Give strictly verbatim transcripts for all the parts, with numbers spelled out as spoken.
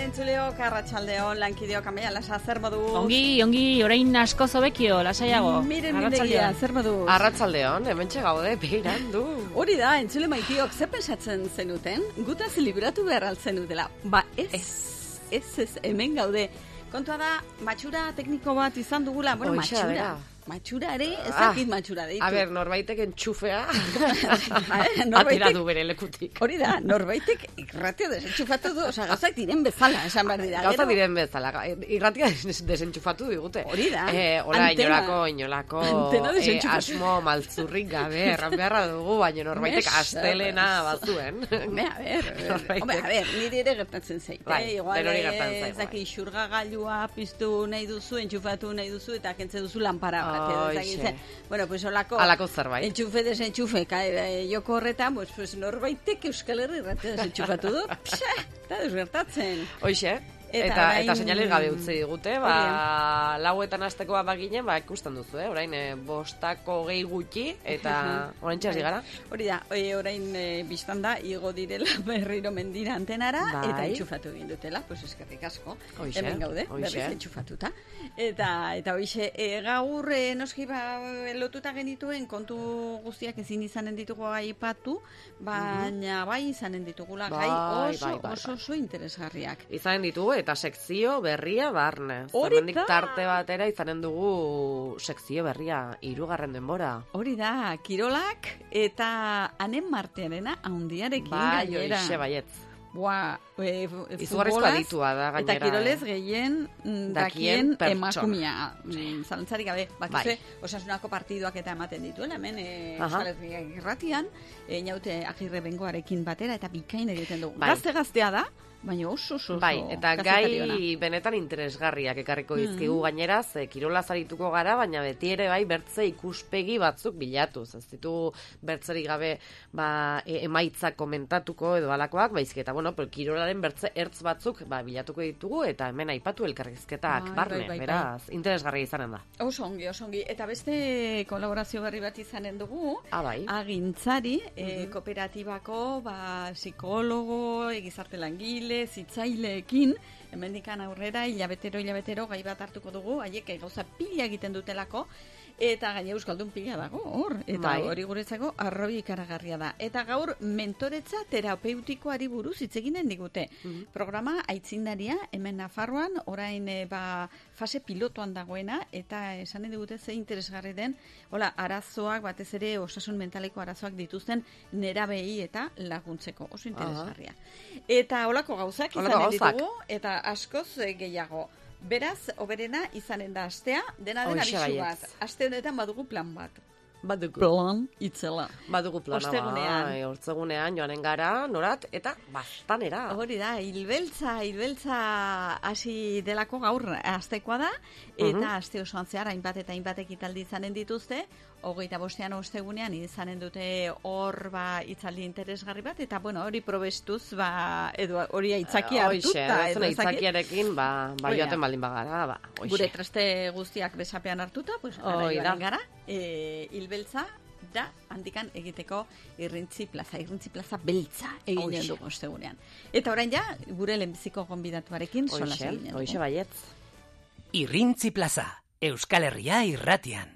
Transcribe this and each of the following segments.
entzuleok, arratsaldeon, lankideok, amaia, lasa, zer modu? Ongi, ongi, orain asko zobekio, lasaiago. Miren mindegia, zer modu? Arratsaldeon, hementxe gaude, behirandu. Hori da, entzule maitiok, zer pensatzen zenuten? Gutaz libratu behar altzen dutela. Ba, ez, ez, ez, hemen gaude. Kontua da, matxura tekniko bat izan dugula, bueno, Oixa, matxura. bera. Matxura ere, ezakit matxura deitu. A ber, norbaitek entxufea norbaitek- atera du bere lekutik. Hori da, norbaitek irratia desentxufatu du, oza, gauzak diren bezala, esan behar dira. Gauza Gero- diren bezala, irratia des- desentxufatu digute. Hori da. Eh, hola, Antena. inolako, inolako Antena eh, desentxufatu. asmo maltzurrik gabe, erran beharra dugu, baina norbaitek Mesedez. astelena bazuen. Hombre, a ver, Norbaitek. hombre, a ver, nire ere gertatzen zait. Bai, eh? Igual, denori eh, gertatzen zaigu, ez daki, bai. xurgagailua piztu nahi duzu, entxufatu nahi duzu, eta kentze duzu lanpara bat. edo ez dakit Hoixe. zer. Bueno, pues olako... Halako zerbait. Entxufe, desentxufe, ka, eh, joko horretan, pues, pues norbaitek Euskal Herri irratia desentxufatu du. Pxa, eta desgertatzen. Hoixe, Eta eta, orain- eta seinales gabe utzi digute, ba, Hori lauetan astekoa baginen, ba, ikusten duzu, eh? Orain, eh, bostako gehi gutxi, eta orain txasi gara. Hori da, e, orain e, biztan da, igo direla berriro mendira antenara, Bai. eta entxufatu egin dutela, pues eskerrik asko. Hoixe, Hemen gaude, hoixe. berriz entxufatuta. Eta, eta hoixe, e, gaur e, noski ba, lotuta genituen kontu guztiak ezin izanen ditugu aipatu, baina bai izanen ditugula gai Bai, oso, bai, bai, oso, oso interesgarriak. Izanen ditugu, eta sekzio berria barne. Hori Hemendik da. tarte batera izanen dugu sekzio berria, hirugarren denbora. Hori da, kirolak eta anen martearena haundiarekin Bai, gainera. hoixe baietz. Boa, e, Izugarrizko futbolaz aditua da, eta gainera. kirolez gehien mm, Dakien dakien pertsona. emakumea. Mm, Zalantzarik gabe, bakizue, Bai. osasunako partiduak eta ematen dituela, hemen e, Aha. Euskal Herria irratian, e, inaute agirre bengoarekin batera, eta bikain egiten dugu. Bai. Gazte-gaztea da, baina oso oso oso Bai, eta kazetari ona. gai benetan interesgarriak ekarriko Mm. dizkigu gainera, ze kirola zarituko gara, baina beti ere bai bertze ikuspegi batzuk bilatuz. Ez ditugu bertzerik gabe ba, e, emaitzak komentatuko edo alakoak, baizik eta bueno, pero kirolaren bertze ertz batzuk ba, bilatuko ditugu eta hemen aipatu elkarrizketak Bai, barne, bai, bai, bai. beraz, interesgarria izanen da. Oso ongi, oso ongi. Eta beste kolaborazio berri bat izanen dugu, Ah, bai. agintzari, e, kooperatibako, ba, psikologo, e, gizarte langile, zitzaileekin, hemendikan aurrera, hilabetero, hilabetero, gai bat hartuko dugu, haiek gauza pila egiten dutelako, eta gaine euskaldun pila dago, hor, eta Bai. hori guretzako arrobi ikaragarria da. Eta gaur mentoretza terapeutikoari buruz hitz eginen digute. Programa aitzindaria, hemen Nafarroan, orain e, ba, fase pilotoan dagoena, eta esanen digute ze interesgarri den, hola, arazoak, batez ere osasun mentaleko arazoak dituzten nerabei eta laguntzeko, oso interesgarria. Eta holako gauzak Holako izanen gauzak. ditugu, eta askoz eh, gehiago. Beraz, oberena izanen da astea, dena den Hoxe abisu baietz. bat. Aste honetan badugu plan bat. Badugu. Plan itzela. Badugu plana, Ostegunean. bai, hortzegunean joanen gara, norat, eta bastanera. Hori da, hilbeltza, hilbeltza hasi delako gaur astekoa da, eta Mhm. aste osoan zehar hainbat eta hainbat ekitaldi izanen dituzte, hogeita bostean ostegunean izanen dute hor ba hitzaldi interesgarri bat, eta bueno, hori probestuz, ba, edo hori aitzakia Hoixe, hartuta, edo aitzakiarekin, ba, ba Hori da. joaten baldin bagara, ba, hoixe. gure traste guztiak besapean hartuta, pues ara Hoi da. joanen gara, e, hilbeltza da handikan egiteko irrintzi plaza, irrintzi plaza beltza eginen Hoixe. dugu ostegunean. Eta orain ja, gure lehenbiziko gonbidatuarekin solas Hoixe, eginen dugu. hoixe baietz. Irrintzi plaza, Euskal Herria irratian.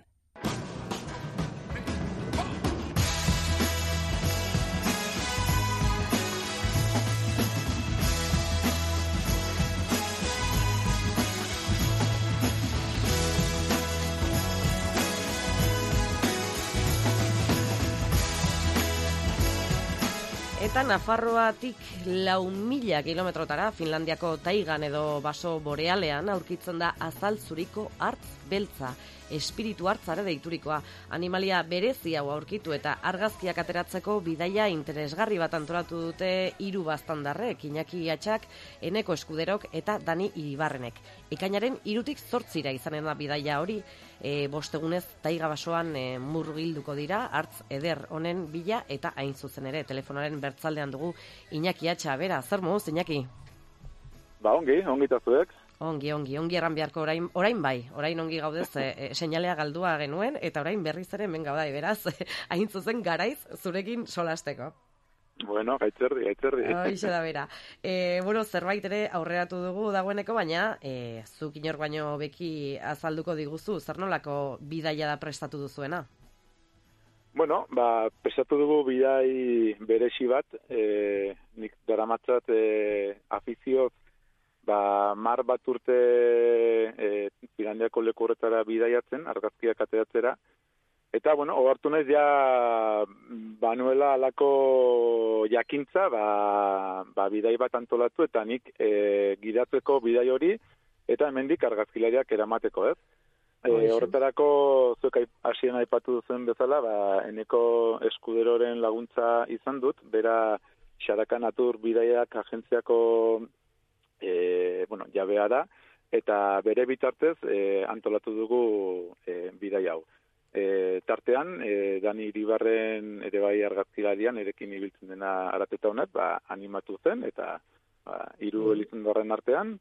Eta Nafarroatik lau mila kilometrotara, Finlandiako taigan edo baso borealean aurkitzen da azal zuriko hartz beltza, espiritu hartzare deiturikoa. Animalia berezi hau aurkitu eta argazkiak ateratzeko bidaia interesgarri bat antolatu dute hiru baztandarrek, Iñaki Atxak, Eneko Eskuderok eta Dani Iribarrenek. Ekainaren hirutik zortzira izanen da bidaia hori, e, bostegunez taiga basoan e, murgilduko dira, hartz eder honen bila eta hain zuzen ere telefonaren bertzaldean dugu Iñaki Atxa. Bera, zer moduz, Iñaki? Ba, ongi, ongi tazuek. Ongi, ongi, ongi erran beharko orain, orain bai, orain ongi gaudez, e, e, seinalea galdua genuen, eta orain berriz ere hemen gauda, beraz, hain zuzen garaiz zurekin solasteko. Bueno, gaitzerdi, gaitzerdi. Hoixe da bera. E, bueno, zerbait ere aurreratu dugu dagoeneko, baina e, zuk inor baino beki azalduko diguzu, zer nolako bidaia da prestatu duzuena? Bueno, ba, prestatu dugu bidai beresi bat, e, nik daramatzat e, afizioz, ba, mar bat urte e, Finlandiako leku horretara bidaiatzen, argazkiak ateratzera. Eta, bueno, ohartu naiz ja banuela alako jakintza, ba, ba bidai bat antolatu, eta nik e, gidatzeko bidai hori, eta hemendik argazkilariak eramateko, ez? E, horretarako, zuek hasieran aipatu duzen bezala, ba, eneko eskuderoren laguntza izan dut, bera Xaraka Natur bidaiak agentziako e, bueno, jabea da, eta bere bitartez e, antolatu dugu e, bidai hau. E, tartean, e, Dani Iribarren ere bai argazkilarian erekin ibiltzen dena arateta honet, ba, animatu zen, eta ba, hiru elizundarren artean,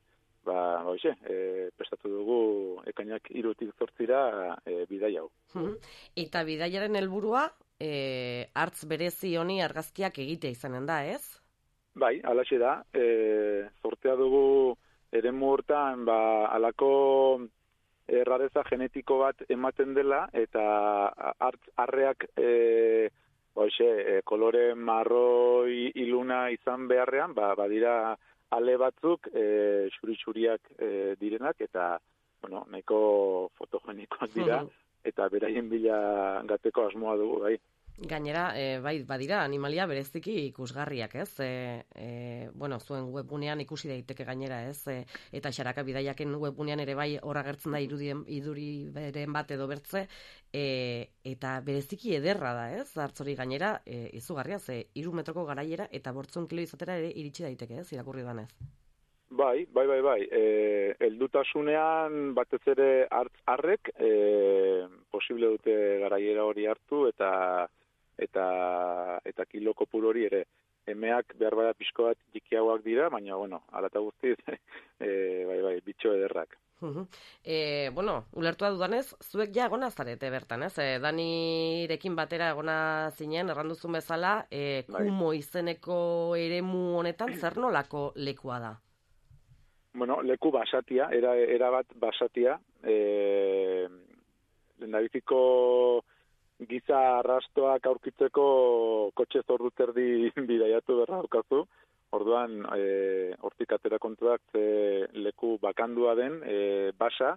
ba, hoxe, e, prestatu dugu ekainak hirutik zortzira e, bidai hau. Eta bidaiaren helburua e, hartz berezi honi argazkiak egitea izanen da, ez? Bai, alaxe da, e, zortea dugu eremu hortan, ba, alako errareza genetiko bat ematen dela, eta hartz arreak e, hoxe, e, kolore marroi iluna izan beharrean, ba, badira ale batzuk e, xuri-xuriak e, direnak, eta bueno, nahiko fotogenikoak dira, eta beraien bila gateko asmoa dugu, bai. Gainera, e, bai, badira, animalia bereziki ikusgarriak, ez? E, e, bueno, zuen webgunean ikusi daiteke gainera, ez? E, eta Xaraka bidaiaken webgunean ere bai hor agertzen da irudien, iduri beren bat edo bertze, e, eta bereziki ederra da, ez? Hartzori gainera, e, izugarria, ze hiru metroko garaiera eta bortzun kilo izatera ere iritsi daiteke, ez? Irakurri danez. Bai, bai, bai, bai. E, heldutasunean batez ere hartz arrek e, posible dute garaiera hori hartu, eta eta eta kilo kopuru hori ere. Emeak behar bada pixko bat jikiagoak dira, baina, bueno, alata guztiz, e, bai, bai, bitxo ederrak. Uh-huh. E, bueno, ulertua dudanez, zuek ja egona zarete bertan, ez? E, Danirekin batera egona zinen, erranduzun bezala, e, Kumo izeneko eremu honetan zer nolako lekua da? Bueno, leku basatia, era, era bat basatia, e, lehendabiziko giza arrastoak aurkitzeko kotxe zorduterdi bidaiatu berra daukazu. Orduan, e, hortik atera kontuak e, leku bakandua den, e, basa,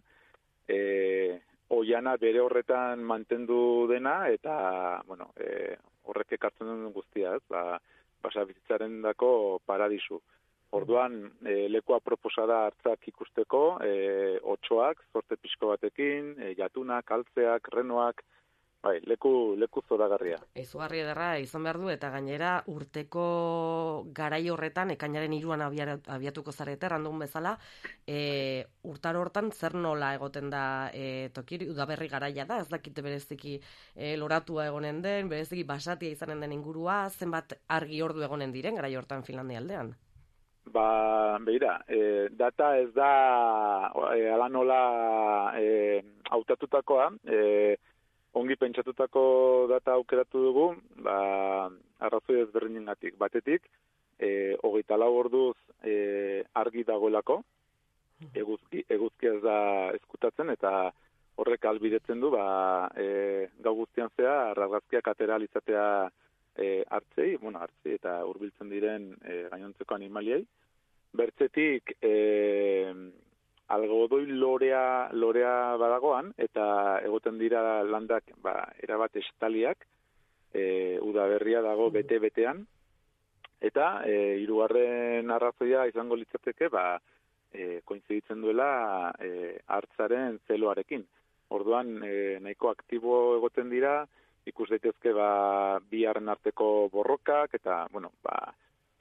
e, oiana bere horretan mantendu dena, eta, bueno, e, horrek ekartzen duen guztia, ez, ba, basa bizitzaren dako paradisu. Orduan, e, lekua proposada hartzak ikusteko, e, otxoak, zorte pixko batekin, e, jatunak, altzeak, renoak, bai, leku, leku zoragarria. Izugarri ederra izan behar du, eta gainera urteko garai horretan, ekainaren hiruan abiatuko zarete, randun bezala, e, urtaro hortan zer nola egoten da e, tokiri, udaberri garaia da, ez dakite bereziki e, loratua egonen den, bereziki basatia izanen den ingurua, zenbat argi ordu egonen diren garai hortan Finlandia aldean? Ba, beira, e, data ez da e, ala nola e, hautatutakoa, e, ongi pentsatutako data aukeratu dugu, ba, arrazoi ezberdinengatik. Batetik, e, hogeita lau orduz e, argi dagoelako, eguzki, eguzki ez da ezkutatzen, eta horrek albidetzen du, ba, e, gau guztian zea, argazkiak atera alizatea e, hartzei, bueno, hartzei, eta hurbiltzen diren e, gainontzeko animaliei. Bertzetik, e, algodoi lorea, lorea badagoan, eta egoten dira landak, ba, erabat estaliak, e, udaberria dago bete-betean, eta e, hirugarren arrazoia izango litzateke, ba, e, koinziditzen duela e, hartzaren zeloarekin. Orduan, e, nahiko aktibo egoten dira, ikus daitezke ba, bi harren arteko borrokak, eta, bueno, ba,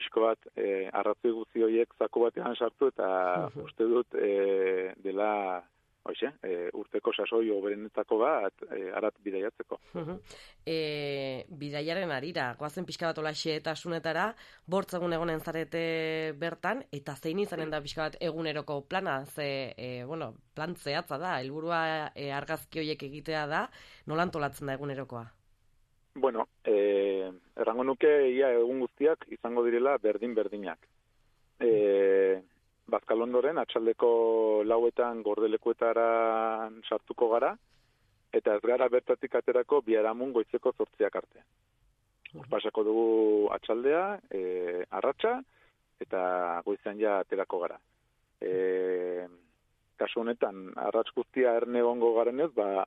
pixko bat, e, arrazoi guzti horiek zaku batean sartu, eta uh-huh. uste dut e, dela hoxe, e, urteko sasoi oberenetako bat e, arat bidaiatzeko. Uh-huh. E, bidaiaren arira, goazen pixka bat olaxe eta asunetara, bortz egun egonen zarete bertan, eta zein izanen da pixka bat eguneroko plana, ze, e, bueno, plan zehatza da, helburua e, argazki horiek egitea da, nola antolatzen da egunerokoa? Bueno, eh, errango nuke ia egun guztiak izango direla berdin-berdinak. Eh, Bazkalondoren, atxaldeko lauetan gordelekuetara sartuko gara, eta ez gara bertatik aterako biharamun goizeko zortziak arte. Pasako dugu atxaldea, e, arratsa, eta goizean ja aterako gara. E, kasu honetan, arratz guztia erne egongo garenez, ba,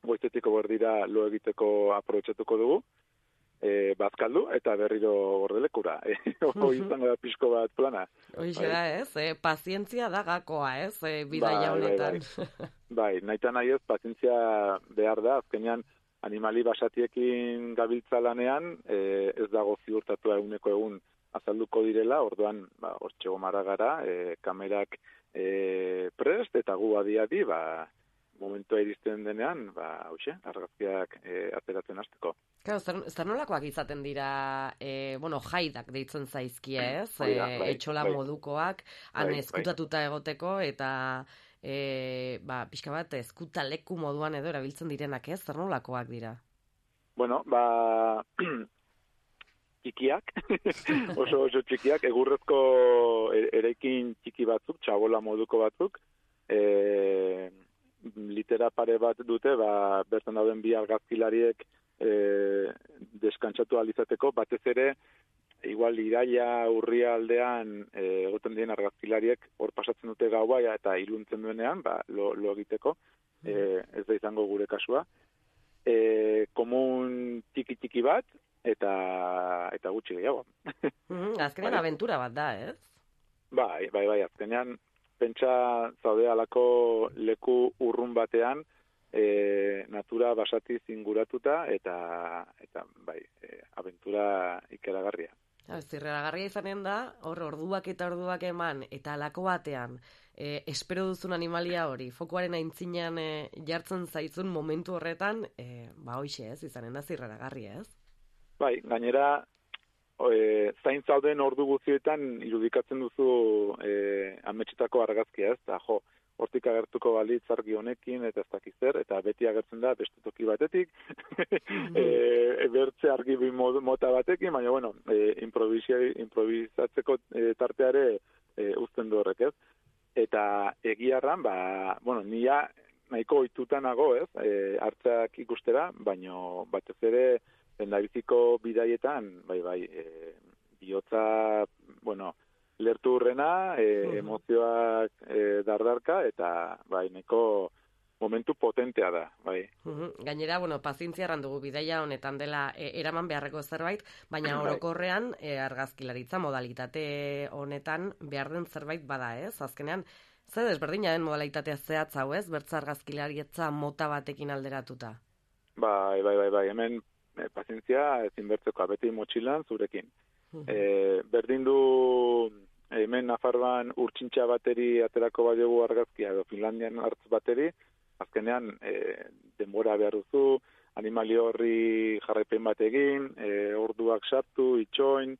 goizetiko berdira lo egiteko aprobetxatuko dugu, e, bazkaldu eta berriro gordelekura. E, Hoi izango da pixko bat plana. Hoixe da, ez? E, pazientzia da gakoa, ez? E, bidaia honetan. Bai, bai, bai, nahi nahi ez, pazientzia behar da, azkenean animali basatiekin gabiltza lanean, e, ez dago ziurtatua eguneko egun azalduko direla, orduan, ba, hortxego marra gara, e, kamerak e, prest, eta gu adi-adi, ba, momentua iristen denean, ba, hauxe, argazkiak e, ateratzen hasteko. Claro, zer, zer nolakoak izaten dira, e, bueno, jaidak deitzen zaizkie, ez? Bai, bai, e, etxola bai. modukoak, han Bai, ezkutatuta egoteko, eta e, ba, pixka bat ezkuta leku moduan edo erabiltzen direnak, ez? Zer nolakoak dira? Bueno, ba, txikiak, oso oso txikiak, egurrezko eraikin txiki batzuk, txabola moduko batzuk, e, litera pare bat dute, ba, bertan dauden bi argazkilariek e, deskantzatu alizateko, batez ere, igual iraila urria aldean e, egoten dien argazkilariek hor pasatzen dute gaua eta iluntzen duenean, ba, lo, lo egiteko, e, ez da izango gure kasua. E, komun txiki-txiki bat, eta eta gutxi gehiago. Mm, azkenean Bai. aventura bat da, ez? Bai, bai, bai, azkenean pentsa zaude alako leku urrun batean, e, natura basatiz inguratuta, eta, eta bai, e, aventura ikeragarria. Zirraragarria izanen da, hor orduak eta orduak eman, eta alako batean, e, espero duzun animalia hori, fokuaren aintzinean e, jartzen zaizun momentu horretan, e, ba hoixe ez, izanen da zirraragarria, ez? Bai, gainera, e, zain zauden ordu guztietan irudikatzen duzu e, ametsetako argazkia, ez? Ta, jo, hortik agertuko balitz argi honekin, eta ez dakiz zer, eta beti agertzen da beste toki batetik, e, bertze argi bi mota batekin, baina, bueno, e, improvisatzeko e, tarteare e, uzten du horrek, ez? Eta egiarran, ba, bueno, nia nahiko ohituta nago, ez? E, hartzak ikustera, baino batez ere lehendabiziko bidaietan, bai, bai, e, bihotza, bueno, lertu hurrena, e, emozioak e, dardarka, eta bai, neko momentu potentea da, bai. Uhum. Gainera, bueno, pazientzia erran dugu bidaia honetan dela e, eraman beharreko zerbait, baina Bai. orokorrean e, argazkilaritza modalitate honetan behar den zerbait bada, ez? Azkenean, zer desberdina den modalitatea zehatz hau, ez? Bertza argazkilaritza mota batekin alderatuta. Bai, bai, bai, bai, hemen e, pazientzia ezin bertzekoa, beti motxilan zurekin. E, berdin du hemen Nafarroan urtsintxa bateri aterako badiogu argazkia, edo Finlandian hartz bateri, azkenean e, denbora behar duzu, animali horri jarraipen bat egin, e, orduak sartu, itxoin,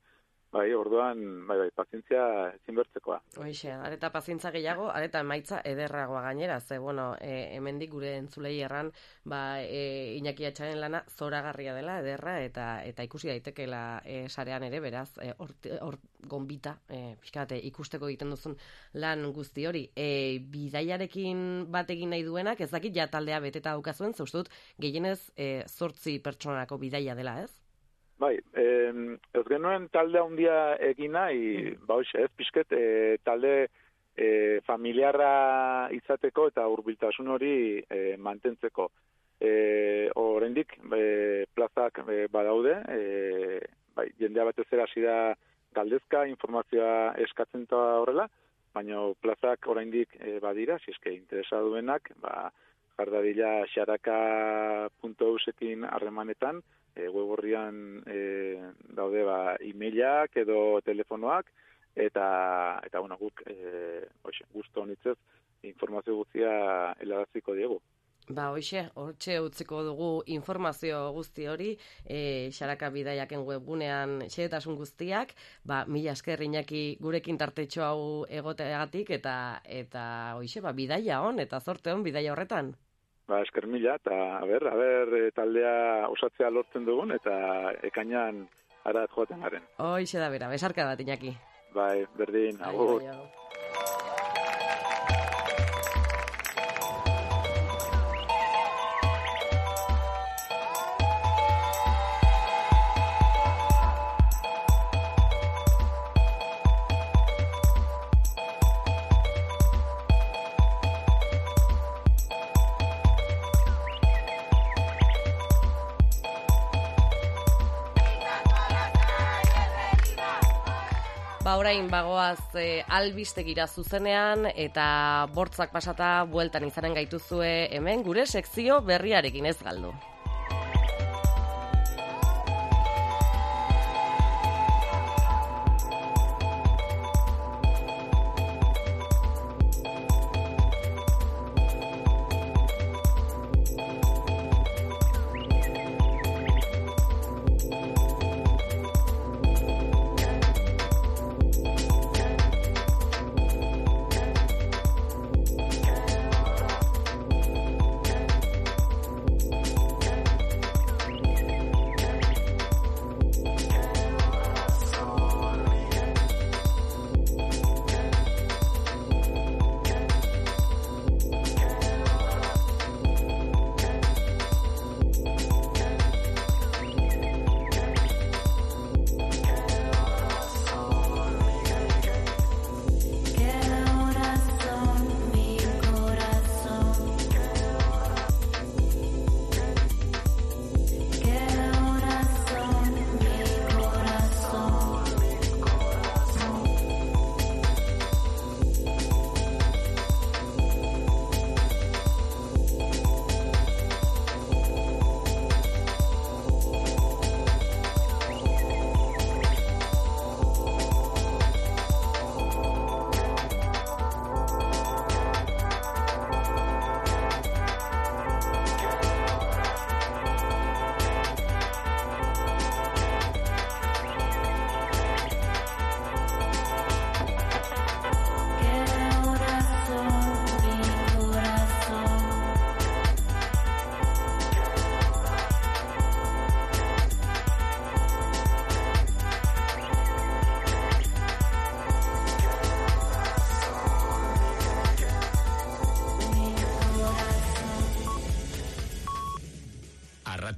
bai, orduan, bai, bai, pazientzia ezin bertzekoa. Hoixe, areta pazientza gehiago, areta emaitza ederragoa gainera, ze, bueno, e, hemendik gure entzulei erran, ba, e, Iñaki Atxaren lana zoragarria dela, ederra, eta eta ikusi daitekeela e, sarean ere, beraz, e, hor, hor gonbita, e, pixkate, ikusteko egiten duzun lan guzti hori. E, bidaiarekin bat egin nahi duenak, ez dakit ja taldea beteta daukazuen, zaustut, gehienez e, zortzi pertsonako bidaia dela, ez? Bai, eh, ez genuen talde handia egin nahi, ba hoxe, ez pixket, eh, talde eh, familiarra izateko eta hurbiltasun hori eh, mantentzeko. Eh, oraindik eh, plazak eh, badaude, eh, bai, jendea batez ere hasi da galdezka, informazioa eskatzen eta horrela, baina plazak oraindik eh, badira, si eske interesa duenak, ba, jardadila xaraka puntu eusekin harremanetan, E, web horrian e, daude ba, e-mailak edo telefonoak, eta, eta bueno, guk e, oixe, guztu honitzez informazio guztia helaraziko diegu. Ba, hoxe, hortxe utziko dugu informazio guzti hori, e, xaraka bidaiaken webgunean xehetasun guztiak, ba, mila esker Iñaki gurekin tartetxo hau egoteagatik, eta, eta hoxe, ba, bidaia hon, eta zorte hon bidaia horretan. ba, esker mila, eta, a ber, a ber, taldea osatzea lortzen dugun, eta ekainan arat joaten garen. Hoixe da bera, besarka bat, Iñaki. Bai, berdin, agur. Ai, ai, ai. Ba, orain bagoaz e, albistegira zuzenean eta bortzak pasata bueltan izanen gaituzue hemen gure sekzio berriarekin ez galdu.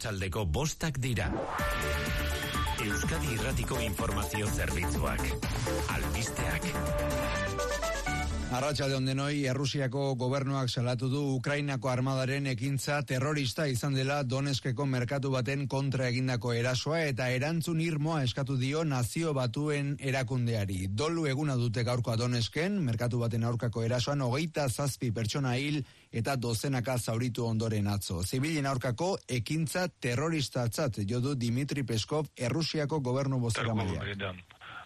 Arratsaldeko bostak dira. Euskadi Irratiko informazio zerbitzuak. Albisteak. Arratsalde on denoi, Errusiako gobernuak salatu du Ukrainako armadaren ekintza terrorista izan dela Donetskeko merkatu baten kontra egindako erasoa eta erantzun irmoa eskatu dio Nazio Batuen erakundeari. Dolu eguna dute gaurkoa Donetsken, merkatu baten aurkako erasoan hogeita zazpi pertsona hil eta dozenaka zauritu ondoren atzo. Zibilen aurkako ekintza terroristatzat jo du Dmitri Peskov, Errusiako gobernu bozeramailea.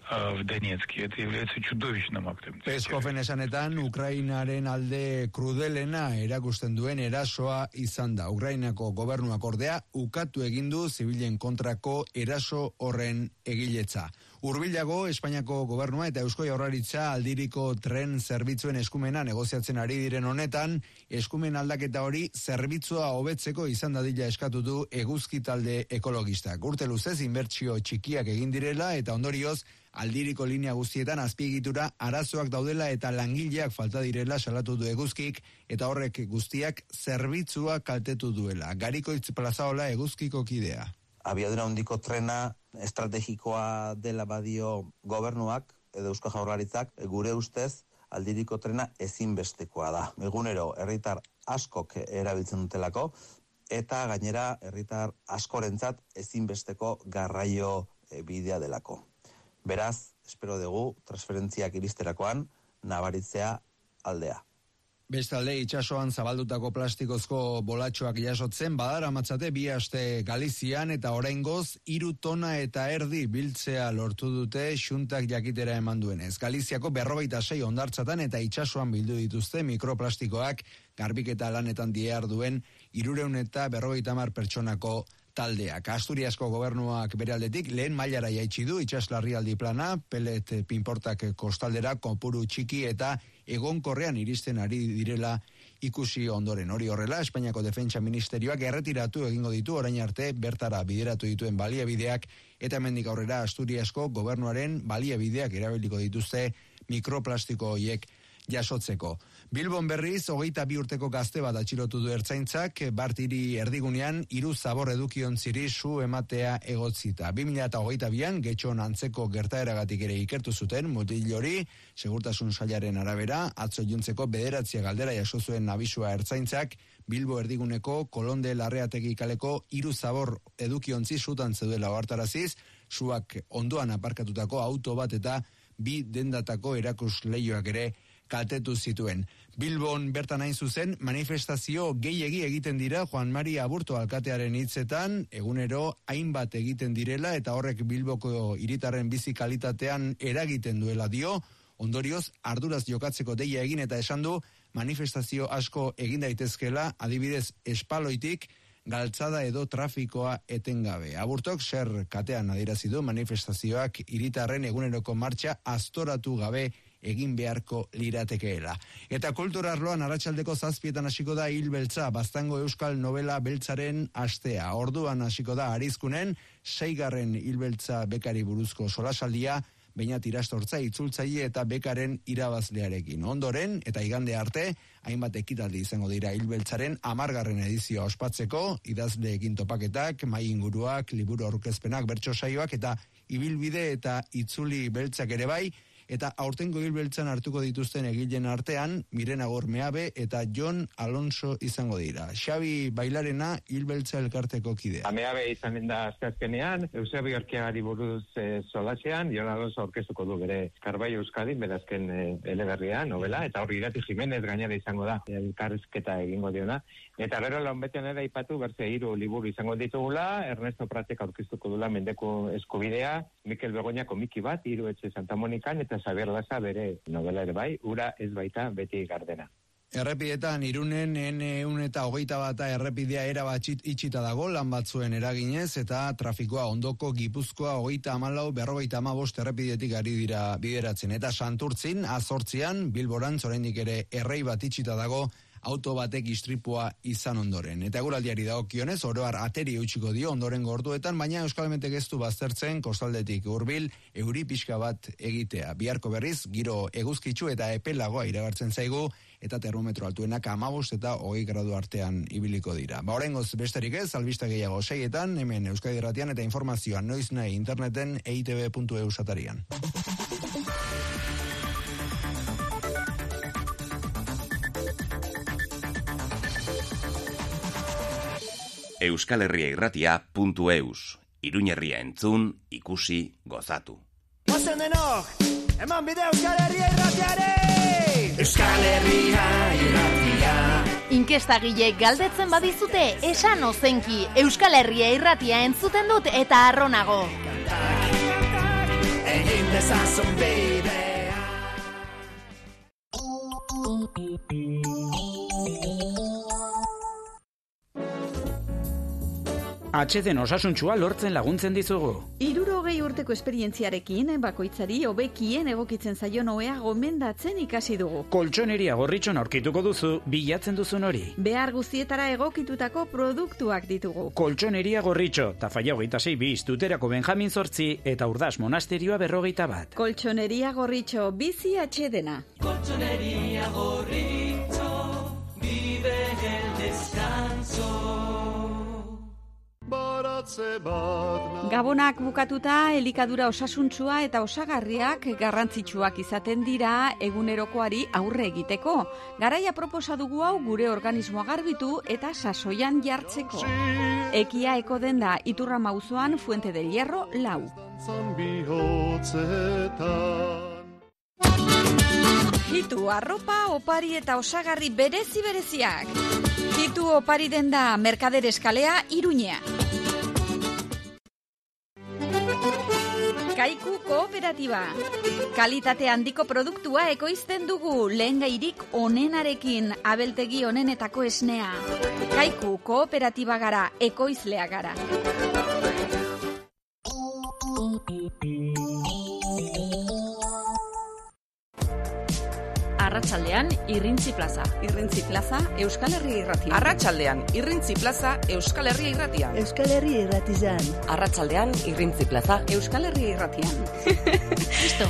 В Донецке. Это является чудовищным актом. Peskoven esanetan, Ukrainaren alde krudelena erakusten duen erasoa izan da. Ukrainako gobernuak ordea ukatu egin du zibilen kontrako eraso horren egiletza. Hurbilago, Espainiako gobernua eta Eusko Jaurlaritza aldiriko tren zerbitzuen eskumena negoziatzen ari diren honetan, eskumen aldaketa hori zerbitzua hobetzeko izan dadila eskatu du eguzki talde ekologistak. Urte luzez inbertsio txikiak egin direla eta ondorioz aldiriko linea guztietan azpiegitura arazoak daudela eta langileak falta direla salatu du eguzkik eta horrek guztiak zerbitzua kaltetu duela. Garikoitz Plazaola eguzkiko kidea. Abiadura handiko trena estrategikoa dela badio gobernuak edo Eusko Jaurlaritzak, gure ustez aldiriko trena ezinbestekoa da. Egunero herritar askok erabiltzen dutelako eta gainera herritar askorentzat ezinbesteko garraio bidea delako. Beraz, espero dugu transferentziak iristerakoan nabaritzea aldea. Bestalde, itsasoan zabaldutako plastikozko bolatxoak jasotzen badara matzate bi aste Galizian eta oraingoz hiru tona eta erdi biltzea lortu dute xuntak jakitera eman duenez. Galiziako berrogeita sei hondartzatan eta itsasoan bildu dituzte mikroplastikoak garbiketa lanetan diharduen hirurehun eta berrogeita hamar pertsonako taldeak. Asturiasko gobernuak bere aldetik lehen mailara jaitsi du itsaslarrialdi plana, pelet pinportak kostaldera kopuru txiki eta egonkorrean iristen ari direla ikusi ondoren. Hori horrela, Espainiako Defentsa Ministerioak erretiratu egingo ditu orain arte bertara bideratu dituen baliabideak eta hemendik aurrera Asturiasko gobernuaren baliabideak erabiliko dituzte mikroplastiko horiek jasotzeko. Bilbon berriz, hogeita bi urteko gazte bat atxilotu du ertzaintzak, Bartiri erdigunean hiru zabor edukiontziri su ematea egotzita. bi mila hogeita bian, getxon antzeko gertaeragatik ere ikertu zuten, mutil hori, segurtasun sailaren arabera, atzo iluntzeko bederatzia galdera jaso zuen abisua ertzaintzak, Bilbo erdiguneko Kolonde Larreategi kaleko hiru zabor edukiontzi sutan zeudela ohartaraziz, suak ondoan aparkatutako auto bat eta bi dendatako erakus leioak ere kaltetu zituen. Bilbon bertan hain zuzen, manifestazio gehiegi egiten dira Juan Mari Aburto alkatearen hitzetan, egunero hainbat egiten direla eta horrek Bilboko hiritarren bizi kalitatean eragiten duela dio, ondorioz arduraz jokatzeko deia egin eta esan du manifestazio asko egin daitezkela, adibidez espaloitik, galtzada edo trafikoa etengabe. Aburtok zer katean adierazi du manifestazioak hiritarren eguneroko martxa astoratu gabe egin beharko liratekeela. Eta kultura arloan arratsaldeko zazpietan hasiko da Hil Beltza, Baztango Euskal Novela Beltzaren astea. Orduan hasiko da Arizkunen, seigarren Hil Beltza bekari buruzko solasaldia, Beñat Irastortza itzultzaile eta bekaren irabazlearekin. Ondoren, eta igande arte, hainbat ekitaldi izango dira Hil Beltzaren hamargarren edizioa ospatzeko, idazleekin topaketak, mai inguruak, liburu aurkezpenak, bertso saioak eta ibilbide eta itzuli beltzak ere bai, eta aurtengo Hil Beltzan hartuko dituzten egileen artean, Mirena Gormeabe eta Jon Alonso izango dira. Xabi Bailarena Hil Beltza elkarteko kidea. Ameabe izanen da azkenean, Eusebio Orkiagari buruz e, solasean, Jon Alonso aurkeztuko du bere Karbaio Euskadin, berazken e, eleberria, novela, eta hori Irati Jimenez gainera izango da, elkarrizketa egingo diona. Eta gero lanbetean ere aipatu berze hiru liburu izango ditugula, Ernesto Pratek aurkeztuko dula Mendeko Eskubidea, Mikel Begoña komiki bat, Hiru etxe Santa Monikan, eta Xabier Laza bere novela ere bai, ura ez baita beti gardena. Errepidetan Irunen ehun eta hogeita bata errepidea erabat itxita dago lan batzuen eraginez eta trafikoa ondoko Gipuzkoa hogeita hamalau berrogeita hamabost errepidetik ari dira bideratzen. Eta Santurtzin, azortzian, Bilborantz oraindik ere errei bat itxita dago auto batek istripua izan ondoren. Eta eguraldiari dagokionez, oroar ateri eutxiko dio ondoren gorduetan, baina Euskalmetek ez du baztertzen kostaldetik hurbil euri pixka bat egitea. Biharko berriz, giro eguzkitsu eta epelagoa iragartzen zaigu, eta termometro altuenak hamabost eta hogei gradu artean ibiliko dira. Ba, oraingoz besterik ez, albista gehiago seietan, hemen Euskadi Irratian eta informazioa noiz nahi interneten e i te be puntu e u satarian. Euskal Herria Irratia puntu eus. Iruñerria entzun, ikusi, gozatu. Ozen denok, eman bide Euskal Herria Irratiare! Euskal Herria Irratia. Inkestagileek galdetzen badizute, esan ozenki, Euskal Herria Irratia entzuten dut eta arronago. Egin dezazun bidea. atxeden osasuntsua lortzen laguntzen dizugu. Hirurogei urteko esperientziarekin, bakoitzari hobekien egokitzen zaion ohea gomendatzen ikasi dugu. Koltxoneria Gorritxon aurkituko duzu bilatzen duzun hori. Behar guztietara egokitutako produktuak ditugu. Koltxoneria Gorritxo, Tafaia hogeita sei bis, Tuterako Benjamin zortzi eta Urdas Monasterioa berrogeita bat. Koltxoneria Gorritxo, bizi atxedena. Koltxoneria Gorritxo, vive el descanso. Gabonak bukatuta, elikadura osasuntsua eta osagarriak garrantzitsuak izaten dira egunerokoari aurre egiteko. Garaia proposa dugu hau gure organismoa garbitu eta sasoian jartzeko. Ekia eko denda Iturrama auzoan Fuente del Hierro lau. Hitu arropa, opari eta osagarri berezi bereziak. Hitu opari denda Merkader Eskalea Iruñea. Kaiku Kooperatiba. Kalitate handiko produktua ekoizten dugu lehengairik onenarekin, abeltegi onenetako esnea. Kaiku Kooperatiba gara, ekoizlea gara. Arratsaldean Irrintzi Plaza. Irrintzi Plaza Euskal Herria Irratian. Arratsaldean Irrintzi Plaza Euskal Herria Irratian. Euskal Herria Irratizan. Arratsaldean Irrintzi Plaza Euskal Herria Irratian. Listo.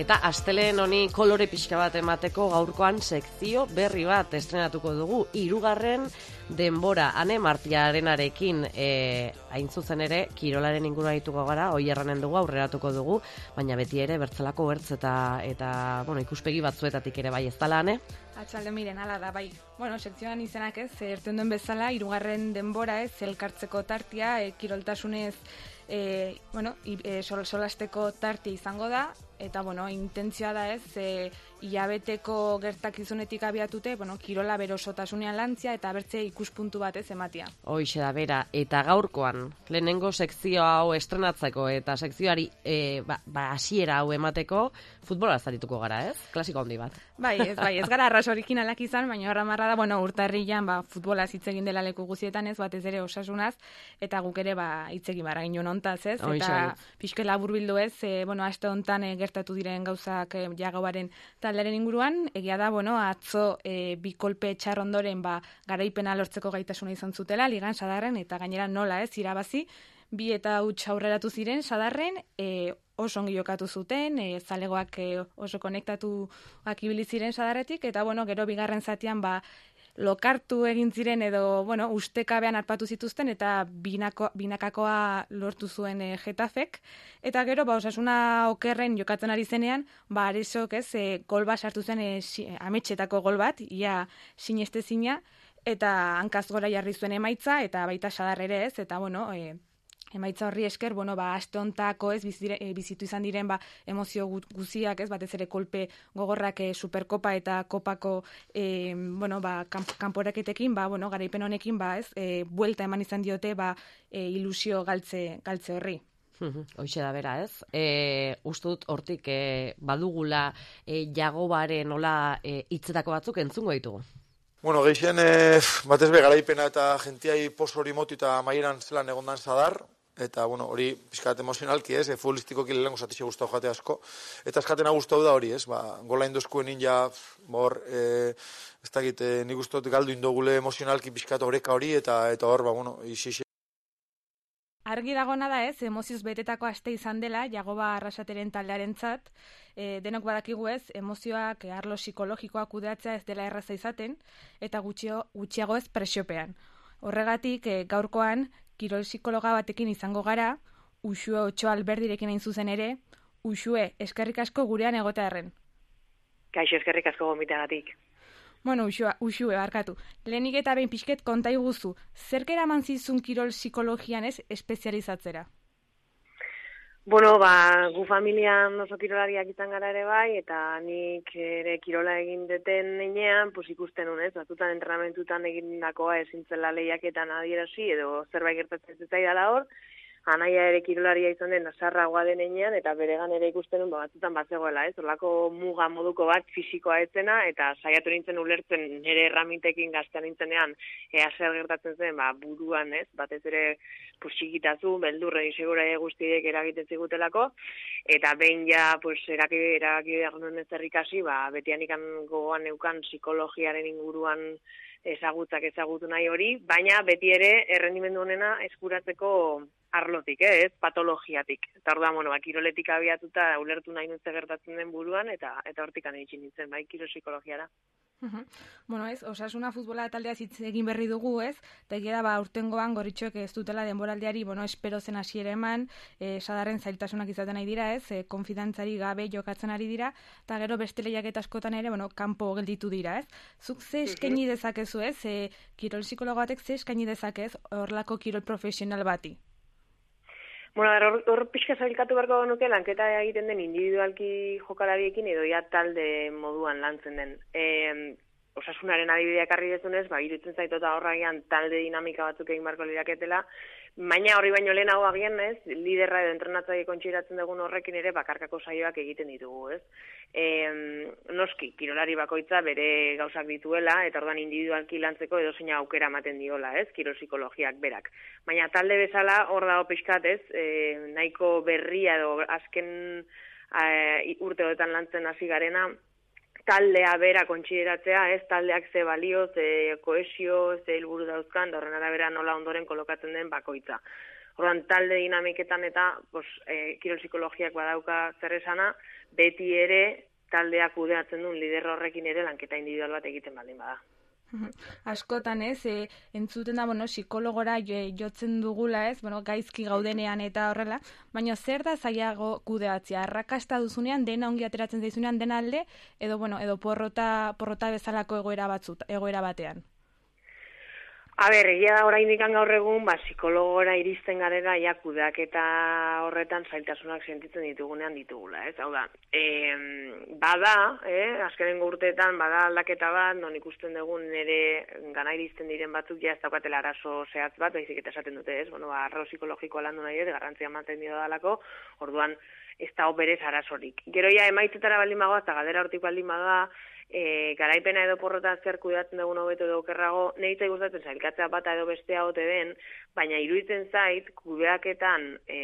Eta astelehen honi kolore pixka bat emateko gaurkoan sekzio berri bat estrenatuko dugu. Hirugarren denbora Ane Martiarenarekin e, hain zuzen ere kirolaren ingurua dituko gara, hoi erranen dugu, aurreratuko dugu, baina beti ere bertzelako bertz eta, eta bueno, ikuspegi batzuetatik ere bai ez dala, Ane? Atxalde miren, ala da, bai. Bueno, sekzioan izenak ez, erten duen bezala, hirugarren denbora ez, elkartzeko tartia, e, kiroltasunez, e, bueno, e, sol, solasteko tartia izango da, eta, bueno, intentzioa da ez, e, hilabeteko gertakizunetik abiatute, bueno, kirola berosotasunean lantzia eta bertze ikuspuntu bat ez ematia. Hoixe da bera, eta gaurkoan, lehenengo sekzio hau estrenatzeko eta sekzioari e, ba, ba, hasiera hau emateko, futbola zarituko gara, ez? Klasiko handi bat. Bai, ez, bai, ez gara arras originalak izan, baina horra marra da, bueno, urtarrilan, ba, futbola hitz egin dela leku guztietan ez, batez ere osasunaz, eta guk ere, ba, hitz egin barra ginen hontaz, ez? Eta pixke labur bildu ez, e, bueno, aste hontan e, gertatu diren gauzak e, jagobaren taldearen inguruan, egia da, bueno, atzo e, bi kolpe txar ondoren, ba, garaipena lortzeko gaitasuna izan zutela, ligan sadarren, eta gainera nola ez, irabazi, bi eta huts aurreratu ziren sadarren, e, oso ongi jokatu zuten, e, zalegoak e, oso konektatuak ibili ziren sadarretik, eta bueno, gero bigarren zatian ba, lokartu egin ziren edo, bueno, ustekabean arpatu zituzten eta binako, binakakoa lortu zuen e, Getafek, eta gero ba, osasuna okerren jokatzen ari zenean, ba, Aresok ez, e, gol bat sartu zen e, si, ametxetako gol bat, ia sinestezina, eta hankaz gora jarri zuen emaitza, eta baita sadar ere ez, eta bueno, e, emaitza horri esker, bueno, ba, aste hontako ez, bizire, e, bizitu izan diren, ba, emozio guziak ez, batez ere kolpe gogorrak e, Superkopa eta Kopako, e, bueno, ba, kamp, kanporaketekin, ba, bueno, garaipen honekin, ba, ez, e, buelta eman izan diote, ba, e, ilusio galtze, galtze horri. Hoixe da bera, ez? E, ustut hortik e, badugula e, jagobaren nola e, hitzetako batzuk entzungo ditugu. Bueno, gehien e, batez be garaipena eta gentiai pos hori motu eta maieran zelan egondan zadar, eta bueno, hori pizkat emozionalki, ez, e, futbolistikoki lehenko zatixe guztau jate asko, eta eskatena guztau da hori, ez, ba, gola indozkuen ninja, hor, e, ez dakit, e, nik guztot galdu indogule emozionalki pizkat horeka hori, eta eta hor, ba, bueno, isi Argi dagona da ez, emozioz betetako aste izan dela, Jagoba Arrasateren taldearentzat, e, denok badakigu ez, emozioak arlo psikologikoak kudeatzea ez dela erraza izaten, eta gutxio, gutxiago ez presiopean. Horregatik, e, gaurkoan, kirol psikologa batekin izango gara, Uxue Otxo Alberdirekin hain zuzen ere, Uxue, eskerrik asko gurean egotearren. Kaixo, eskerrik asko gomiteagatik. Bueno, Uxue, Uxue, barkatu. Lehenik eta behin pixket konta iguzu, zerk eraman zizun kirol psikologian ez espezializatzera? Bueno, ba, gu familian oso kirolariak izan gara ere bai, eta nik ere kirola egin deten nenean, pues ikusten honez, batutan entrenamentutan egindakoa ezintzela lehiaketan adierazi, edo zerbait gertatzen zitzaidala hor, anaia ere kirolaria izan den azarragoa denean, eta beregan ere ikusten duen batzutan bat zegoela, ez? Horlako muga moduko bat fisikoa etzena, eta saiatu nintzen ulertzen nire erramintekin gaztean nintzenean, ea zer gertatzen zen, ba, buruan, ez? Batez ere, pues, txikitazu, beldurren insegura guztiek eragiten zigutelako, eta behin ja, pues, eraki, eraki behar nuen ez errikasi, ba, betian ikan gogoan neukan psikologiaren inguruan ezagutzak ezagutu nahi hori, baina beti ere errendimendu honena eskuratzeko arlotik, eh, ez, patologiatik. Eta hor da, bueno, kiroletik abiatuta ulertu nahi nutze gertatzen den buruan, eta eta hortik anitxin nintzen, bai, kiro psikologiara. Uh-huh. Bueno, ez, Osasuna futbola taldea hitz egin berri dugu, ez? Eta egia da, ba, urtengoan gorritxoek ez dutela denboraldiari, bueno, espero zen hasiera eman, e, sadarren zailtasunak izaten ari dira, ez? E, konfidantzari gabe jokatzen ari dira, eta gero beste lehiaketa askotan ere, bueno, kanpo gelditu dira, ez? Zuk ze eskaini dezakezu, ez? E, kirol psikologo batek ze eskaini dezakez horlako kirol profesional bati? Bueno, hor, hor pixka zailkatu beharko genuke lanketa egiten den individualki jokalariekin edo ja talde moduan lantzen den. E, Osasunaren adibideak arri dezunez, ba, irutzen zaitota horragian talde dinamika batzuk egin beharko liraketela, baina horri baino lehenago agian, ez, liderra edo entrenatzaile kontxiratzen dugun horrekin ere bakarkako saioak egiten ditugu, ez. E, noski, kirolari bakoitza bere gauzak dituela, eta ordan individualki lantzeko edo zeina aukera ematen diola, ez, kirol psikologiak berak. Baina talde bezala hor dago pixkat, ez, e, nahiko berria edo azken e, urteoetan lantzen hasi garena, taldea bera kontsideratzea, ez taldeak ze balio, ze koesio, ze helburu dauzkan, da horren arabera nola ondoren kolokatzen den bakoitza. Orduan talde dinamiketan eta pues, e, kirol psikologiak badauka zer esana, beti ere taldeak kudeatzen duen lider horrekin ere lanketa individual bat egiten baldin bada. Askotan, ez, e, entzuten da, bueno, psikologora jotzen dugula, ez, bueno, gaizki gaudenean eta horrela, baina zer da zailago kudeatzea? Arrakasta duzunean, dena ongi ateratzen zaizunean dena alde, edo, bueno, edo porrota, porrota bezalako egoera batzut, egoera batean? A ber, egia da oraindik gaur egun, ba, psikologora iristen garela, ja, kudeaketa horretan zailtasunak sentitzen ditugunean ditugula, ez? Hau da, e, bada, eh, azkenengo urteetan, bada aldaketa bat, non ikusten dugun nire gana iristen diren batzuk, ja, ez daukatela arazo zehatz bat, baizik eta esaten dute, ez? Bueno, ba, arro psikologikoa landu nahi dut, garrantzia ematen dio dalako, orduan, ez da oberez arazorik. Gero ja, emaitzetara baldin bagoa, eta gadera hortik baldin bagoa, E, garaipena edo porrota zer kudatzen dugun hobeto edo okerrago, nehitzai gustatzen zailkatzea bata edo bestea ote den, baina iruditzen zait, kudeaketan e,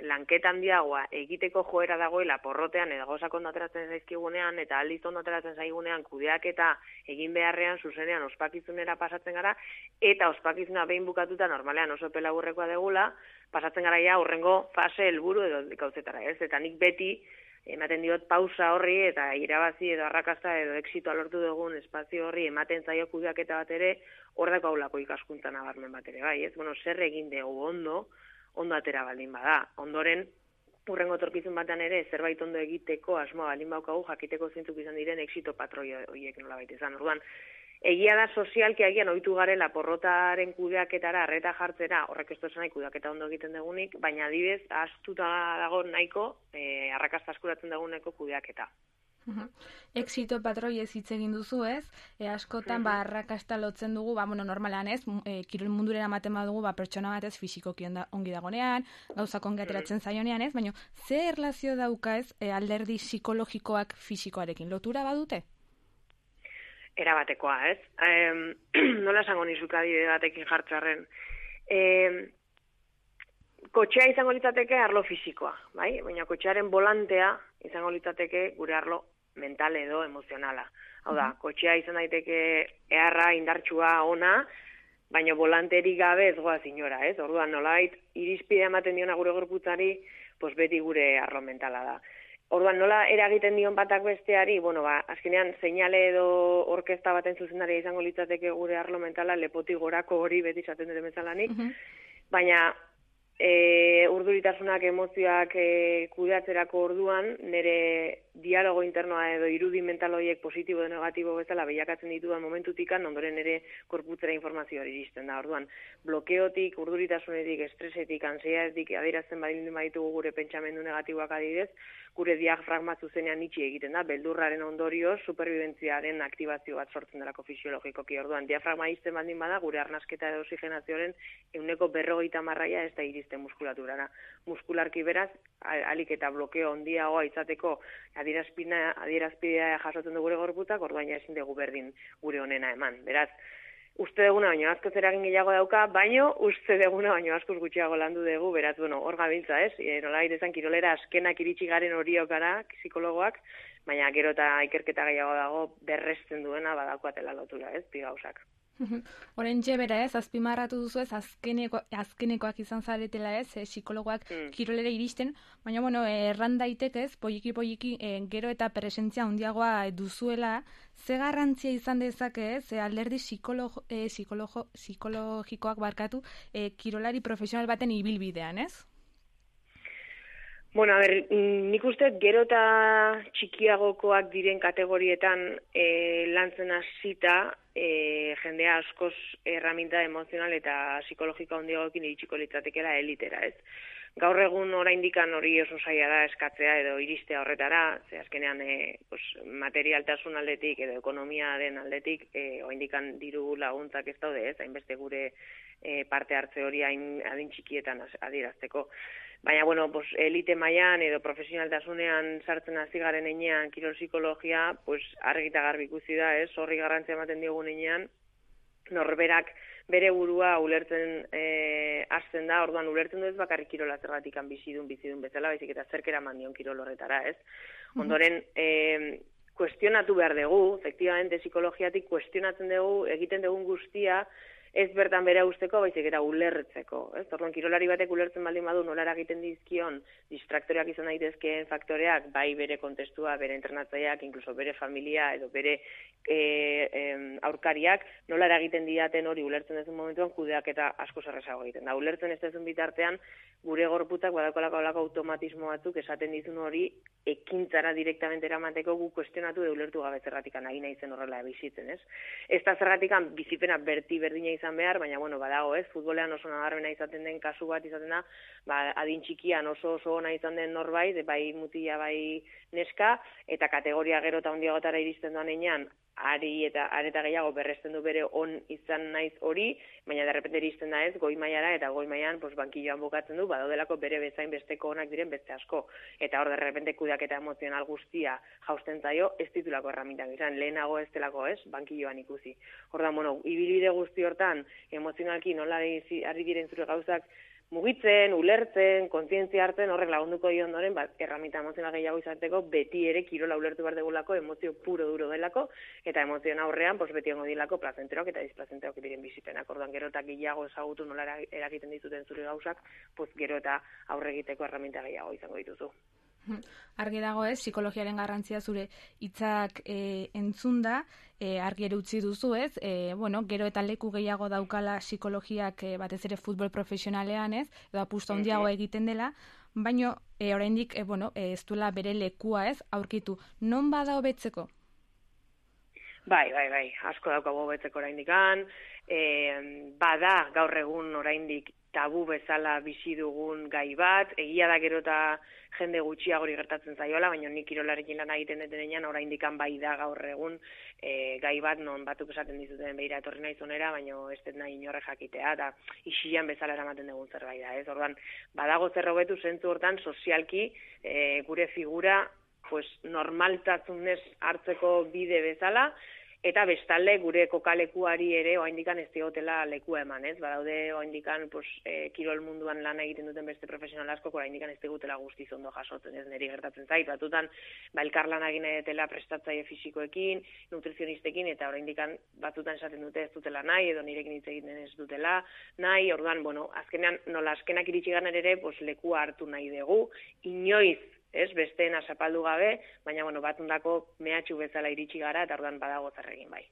lanketan diagoa egiteko joera dagoela porrotean edo gauzak ondo ateratzen zaizkigunean eta aldiz ondo ateratzen zaigunean kudeaketa egin beharrean zuzenean ospakizunera pasatzen gara, eta ospakizuna behin bukatuta normalean oso pelaburrekoa degula, pasatzen gara ja urrengo fase helburu edo gauzetara, ez? Eta nik beti ematen diot pausa horri eta irabazi edo arrakasta edo exitoa lortu dugun espazio horri ematen zaio kudeaketa bat ere hor daukagulako ikaskuntza nabarmen bat ere, bai, ez? Bueno, zer egin dugu ondo, ondo atera baldin bada. Ondoren, urrengo etorkizun batean ere zerbait ondo egiteko asmoa baldin baukagu jakiteko zeintzuk izan diren exito patroi horiek nolabait izan. Orduan, egia da sozialki agian ohitu garela porrotaren kudeaketara arreta jartzera, horrek ez duzena kudeaketa ondo egiten dugunik, baina adibidez ahaztuta dago nahiko e, arrakasta askuratzen duguneko kudeaketa. Uh-huh. Exito patroi ez hitz egin duzu, ez? E, askotan uh-huh. ba arrakasta lotzen dugu, ba bueno, normalean, ez? E, kirol mundurera ematen badugu, ba pertsona batez fisikoki ongi dagonean, gauzak ongi ateratzen zaionean, ez? Baina ze erlazio dauka, ez? E, alderdi psikologikoak fisikoarekin lotura badute? Erabatekoa, ez? E, nola esango nizuk adibide batekin jartzarren. E, kotxea izango litzateke arlo fisikoa, bai? Baina kotxearen volantea izango litzateke gure arlo mental edo emozionala. Hau da, kotxea izan daiteke eharra, indartsua, ona, baina volanterik gabe ez goaz inora, ez? Orduan, nolabait, irizpide ematen diona gure gorputzari, pues beti gure arlo mentala da. Orduan, nola eragiten dion batak besteari, bueno, ba, azkenean, seinale edo orkesta baten zuzendaria izango litzateke gure arlo mentala, lepotik gorako hori beti izaten dut bezalanik, uh-huh. baina e, urduritasunak, emozioak e, kudeatzerako orduan, nire dialogo internoa edo irudi mental horiek positibo edo negatibo bezala behiakatzen ditudan momentutikan, ondoren ere korputzera informazio hori iristen da. Orduan, blokeotik, urduritasunetik, estresetik, ansiedadetik adierazten badin baditugu gure pentsamendu negatiboak adibidez, gure diafragma zuzenean itxi egiten da, beldurraren ondorioz superbibentziaren aktibazio bat sortzen delako fisiologikoki. Orduan, diafragma izten baldin bada, gure arnasketa edo oxigenazioaren ehuneko berrogeita marraia ez da iristen muskulaturara. Muskularki beraz, alik eta blokeo handiagoa izateko adierazpidea, adierazpidea jasotzen du gure gorputzak, orduan ja ezin dugu berdin gure onena eman. Beraz, uste duguna baino askoz eragin gehiago dauka, baino uste duguna baino askoz gutxiago landu dugu, beraz, bueno, hor gabiltza, ez? E, nola irezan kirolera askenak iritsi garen horiok gara, psikologoak, baina gero eta ikerketa gehiago dago berresten duena badakoatela lotura, ez? Bi gauzak. Horentxe bera ez, azpimarratu duzu ez, azkeneko, azkenekoak izan zaretela ez, e, psikologoak mm. kirolera iristen, baina, bueno, erran daitek ez, poliki-poliki e, gero eta presentzia handiagoa duzuela, ze garrantzia izan dezake ez, e, alderdi psikologo, e, psikologo, psikologikoak barkatu, e, kirolari profesional baten ibilbidean, ez? Bueno, a ber, nik uste gero eta txikiagokoak diren kategorietan e, lantzen hasita e, jendea askoz erraminta emozional eta psikologika handiagoekin iritsiko litzatekeela elitera, ez? Gaur egun oraindikan hori oso zaila da eskatzea edo iristea horretara, ze azkenean e, pues, materialtasun aldetik edo ekonomia den aldetik e, oraindikan diru laguntzak ez daude, ez? Hainbeste gure e, parte hartze hori hain adin txikietan adierazteko. Baina, bueno, pues, elite mailan edo profesionaltasunean sartzen hasi garen heinean kirol psikologia, pues, argi eta garbi ikusi da, ez? Horri garrantzia ematen diogun heinean, norberak bere burua ulertzen e, hasten da, orduan ulertzen du ez bakarrik kirola zergatikan bizidun, bizidun bezala, baizik eta zerkera mandion kirol horretara, ez? Ondoren, e, kuestionatu behar dugu, efectivamente, psikologiatik kuestionatzen dugu, egiten dugun guztia, ez bertan bera usteko, baizik eta ulertzeko. Ez? Orduan, kirolari batek ulertzen baldin badu nola egiten dizkion distraktoreak izan daitezkeen faktoreak, bai bere kontestua, bere entrenatzaileak, inkluso bere familia edo bere e, e, aurkariak, nola egiten didaten hori ulertzen dezun momentuan kudeak eta asko zerrezago egiten. Da, ulertzen ez dezun bitartean, gure gorputzak badakolako olako automatismo batzuk esaten dizun hori ekintzara direktamente eramateko gu kuestionatu edo ulertu gabe zergatikan agina izen horrela bizitzen, ez? Ez da zergatikan bizipena berti berdina izan behar, baina bueno, badago, ez? Futbolean oso nabarmena izaten den kasu bat izaten da, ba, adin txikian oso oso ona izan den norbait, bai mutila bai neska, eta kategoria gero eta handiagotara iristen doan heinean, ari eta areta gehiago berresten du bere on izan naiz hori, baina derrepente iristen da ez, goi mailara eta goi mailan pues, bankilloan bukatzen du, badaudelako bere bezain besteko onak diren beste asko. Eta hor derrepente kudeaketa emozional guztia jausten zaio, ez ditulako erramintak izan, lehenago ez delako ez, bankilloan ikusi. Hordan, bueno, ibilbide guzti hortan, emozionalki nola ari diren zure gauzak, mugitzen, ulertzen, kontzientzia hartzen, horrek lagunduko dio ondoren, bat, erramita emozional gehiago izateko, beti ere kirola ulertu behar degulako, emozio puro duro delako, eta emozion aurrean, pues, beti ongo dilako plazenterok eta displazenterok diren bizipenak. Orduan, gero eta gehiago ezagutu nola eragiten dituten zure gauzak, pues, gero eta aurre egiteko erramita gehiago izango dituzu. Argi dago ez, psikologiaren garrantzia zure hitzak e, entzunda, e, argi ere utzi duzu ez, e, bueno, gero eta leku gehiago daukala psikologiak e, batez ere futbol profesionalean ez, edo apustu handiago egiten dela, baina e, oraindik e, bueno, e, ez duela bere lekua ez, aurkitu, non bada hobetzeko? Bai, bai, bai, asko daukagu hobetzeko oraindikan, e, bada gaur egun oraindik tabu bezala bizi dugun gai bat, egia da gero eta jende gutxiagori gertatzen zaiola, baina nik kirolarekin lan egiten detenean oraindikan bai da gaur egun e, gai bat non batuk esaten dizuten beira etorri naiz onera, baina ez dut nahi inorre jakitea, eta isilan bezala eramaten dugun zerbait da, ez? Orduan, badago zer hobetu zentzu hortan sozialki e, gure figura pues, normaltasunez hartzeko bide bezala, eta bestalde gure kokalekuari ere oraindikan ez diotela lekua eman, ez? Badaude oraindikan pues e, kirol munduan lan egiten duten beste profesional asko oraindikan ez digutela guztiz ondo jasotzen, ez neri gertatzen zait. Batutan ba elkarlana egin edetela prestatzaile fisikoekin, nutrizionistekin eta oraindikan batutan esaten dute ez dutela nahi edo nirekin hitz egiten ez dutela nahi. Orduan, bueno, azkenean nola azkenak iritsi ganer ere, pues lekua hartu nahi dugu, inoiz ez, besteena zapaldu gabe, baina, bueno, batundako mehatxu bezala iritsi gara, eta ordan badago zer egin bai.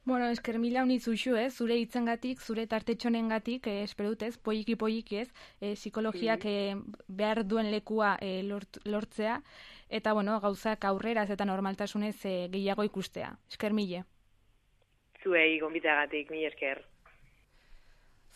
Bueno, esker mila unitz uxu, ez, zure hitzengatik, zure tartetxonengatik, eh, espero dut, ez, poiki poiki, ez, eh, psikologiak eh, behar duen lekua eh, lort, lortzea, eta, bueno, gauzak aurreraz eta normaltasunez eh, gehiago ikustea. Esker mile. Zuei, gonbitagatik, mila esker.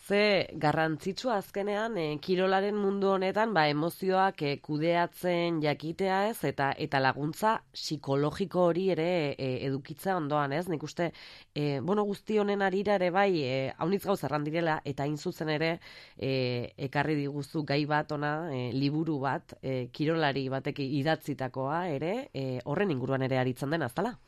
Ze garrantzitsua azkenean e, kirolaren mundu honetan ba emozioak e, kudeatzen jakitea ez eta eta laguntza psikologiko hori ere e, edukitza ondoan ez. Nik uste e, bueno, guzti honen arira ere bai e, haunitz gauza erran direla eta hain zuzen ere e, ekarri diguzu gai bat ona e, liburu bat e, kirolari batek idatzitakoa ere e, horren inguruan ere aritzen den azala.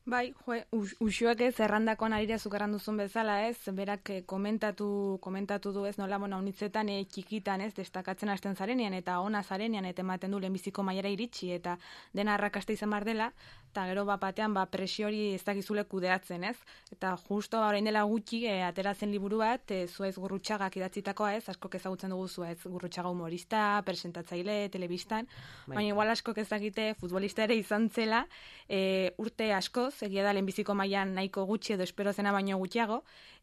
Bai, jo, uxuek ez, errandakoan arira zukarran duzun bezala ez, berak komentatu, komentatu du ez, nola, bona, unitzetan e, txikitan ez, destakatzen hasten zarenean eta ona zarenean eta ematen du lehenbiziko mailara iritsi eta dena arrakasta izan bar dela, eta gero bat batean ba, presio hori ez dakizule kudeatzen, ez? Eta justo ba, orain dela gutxi e, ateratzen liburu bat, e, Zuaitz Gurrutxagak idatzitakoa, ez? Askok ezagutzen dugu Zuaitz Gurrutxaga humorista, presentatzaile, telebistan, bai. Baina igual askok ez dakite futbolista ere izan zela, e, urte askoz, egia da lehenbiziko mailan nahiko gutxi edo espero zena baino gutxiago,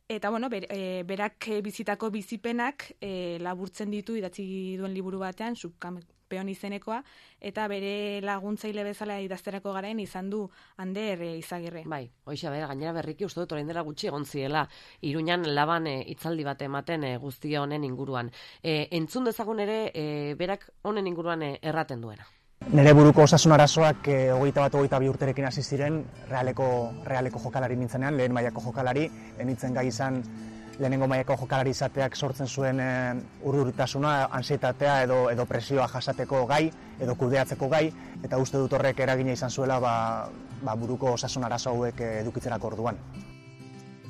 eta bueno, ber, e, berak bizitako bizipenak e, laburtzen ditu idatzi duen liburu batean, subkampeon izenekoa, eta bere laguntzaile bezala idazterako garaen izan du Ander e, Izagirre. Bai, hoixa, bera, gainera berriki uste dut orain dela gutxi egon ziela, Iruñan laban e, hitzaldi bat ematen e, guztia honen inguruan. E, entzun dezagun ere, e, berak honen inguruan e, erraten duena. Nere buruko osasun arazoak e, hogeita bat, hogeita bi urterekin hasi ziren realeko, realeko jokalari nintzenean, lehen mailako jokalari, enitzen gai izan lehenengo mailako jokalari izateak sortzen zuen e, urduritasuna, ansietatea edo, edo presioa jasateko gai, edo kudeatzeko gai, eta uste dut horrek eragina izan zuela ba, ba, buruko osasun arazo hauek edukitzerako orduan.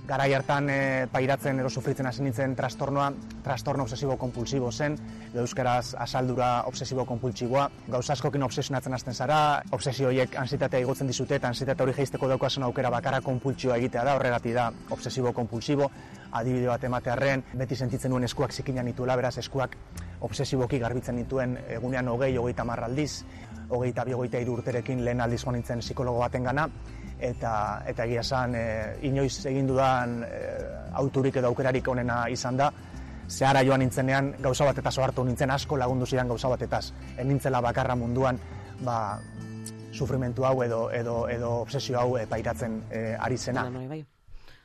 Garai hartan e, pairatzen edo sufritzen hasi nintzen trastornoa, trastorno obsesibo-kompulsibo zen, edo euskaraz asaldura obsesibo-kompultsiboa. Gauza askokin obsesionatzen hasten zara, obsesio horiek ansitatea igotzen dizute, eta ansitatea hori jeizteko daukasun aukera bakarra konpultsioa egitea da, horregatik da obsesibo-kompultsibo. Adibide bat ematearren, beti sentitzen nuen eskuak zikinan nituela, beraz eskuak obsesiboki garbitzen nituen egunean hogei, hogeita hamar aldiz, hogeita bi, hogeita hiru urterekin lehen aldiz joan nintzen psikologo baten gana, eta eta egia esan e, inoiz egin dudan e, auturik edo aukerarik onena izan da. Zehara joan nintzenean gauza batetaz ohartu nintzen, asko lagundu zidan gauza batetaz. Ez nintzela bakarra munduan ba, sufrimentu hau edo, edo, edo obsesio hau e, pairatzen e, ari zena.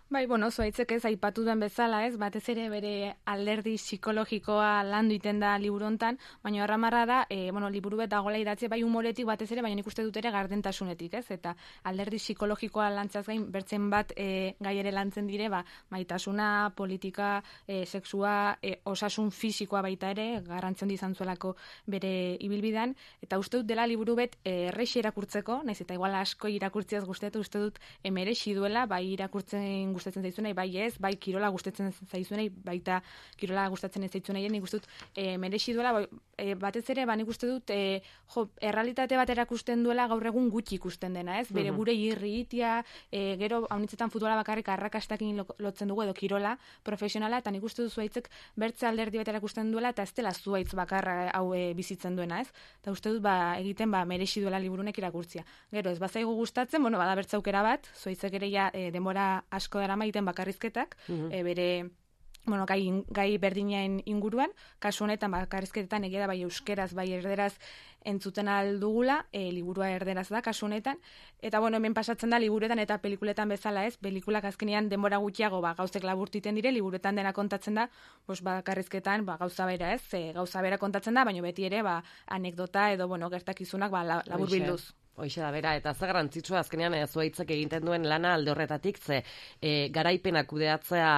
Bai, bueno, Zuaitzek ez aipatu duen bezala, ez, batez ere bere alderdi psikologikoa landu iten da liburu hontan, baina erramarra da, e, bueno, liburu bet dagoela idatzi bai humoretik batez ere, baina nik uste dut ere gardentasunetik, ez, eta alderdi psikologikoa lantzaz gain, bertzen bat e, gai ere lantzen dire, ba, maitasuna, politika, e, sexua, e, osasun fisikoa baita ere, garrantzen izan zuelako bere ibilbidan, eta uste dut dela liburu bet e, errexi irakurtzeko, naiz eta igual asko irakurtziaz guztetu, uste dut emerexi duela, bai irakurtzen gustatzen zaizunei, bai ez, bai kirola gustatzen zaizunei, baita kirola gustatzen ez zaizunei, nik uste dut e, merexi duela, bai, e, batez ere, ba, nik uste dut, e, jo, errealitate bat erakusten duela gaur egun gutxi ikusten dena, ez? Bere gure irritia, e, gero haunitzetan futbola bakarrik arrakastakin lotzen dugu, edo kirola profesionala, eta nik uste dut Zuaitzek bertze alderdi bat erakusten duela, eta ez dela Zuaitz bakarra hau e, bizitzen duena, ez? Eta uste dut, ba, egiten, ba, merexi duela liburunek irakurtzia. Gero, ez bazaigu gustatzen, bueno, bada bertze aukera bat, Zuaitzek ere ja, e, denbora asko dara maiten bakarrizketak, uh-huh. e, bere bueno, gai, gai berdinaen inguruan, kasu honetan bakarrizketetan egia da bai euskeraz, bai erderaz entzuten aldugula, e, liburua erderaz da kasu honetan, eta bueno, hemen pasatzen da liburuetan eta pelikuletan bezala ez, pelikulak azkenean denbora gutxiago ba, gauzek laburtiten dire, liburuetan dena kontatzen da, bos, bakarrizketan ba, gauza bera ez, e, gauza bera kontatzen da, baina beti ere ba, anekdota edo bueno, gertakizunak ba, labur bilduz. Hoixe da, bera, eta ze garrantzitsua azkenean e, Zuaitzek egiten duen lana alde horretatik, ze e, garaipena kudeatzea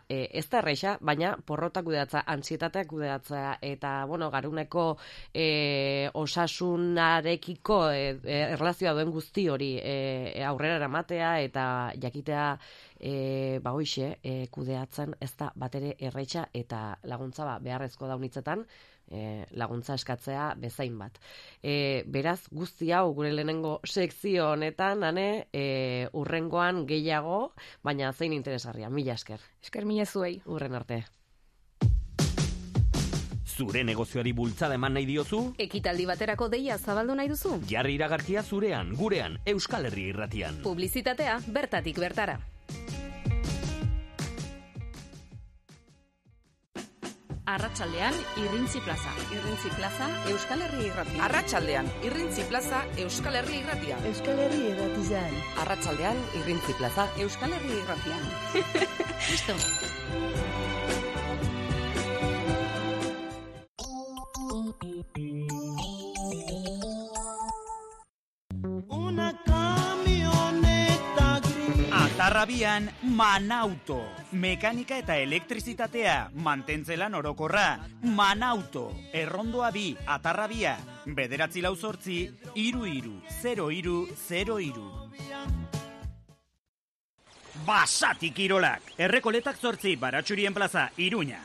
e, ez da erreixa, baina porrota kudeatzea, antsietatea kudeatzea, eta, bueno, garuneko e, osasunarekiko e, e, erlazioa duen guzti hori e, aurrera eramatea, eta jakitea, e, ba hoixe, e, kudeatzen ez da batere erreixa, eta laguntza ba, beharrezko daunitzetan, E, laguntza eskatzea bezain bat. E, beraz, guzti hau gure lehenengo sekzio honetan, ane, e, urrengoan gehiago, baina zein interesgarria, mila esker. Esker mila zuei. Urren arte. Zure negozioari bultzada eman nahi diozu? Ekitaldi baterako deia zabaldu nahi duzu? Jarri iragarkia zurean, gurean, Euskal Herria Irratian. Publizitatea bertatik bertara. Arratsaldean Irrintzi Plaza. Irrintzi Plaza Euskal Herria Irratia. Arratsaldean Irrintzi Plaza Euskal Herria Irratia. Euskal Herria Irratian. Arratsaldean Irrintzi Plaza Euskal Herria Irratian. Listo. Una camioneta gris. Atarrabian Manauto. Mekanika eta elektrizitatea, mantentzelan orokorra, Manauto, errondoa bi, atarrabia, bederatzi lau zortzi, iru iru, zero iru, zero iru. Basatik Kirolak, Errekoletak zortzi, Baratxurien plaza, Iruña.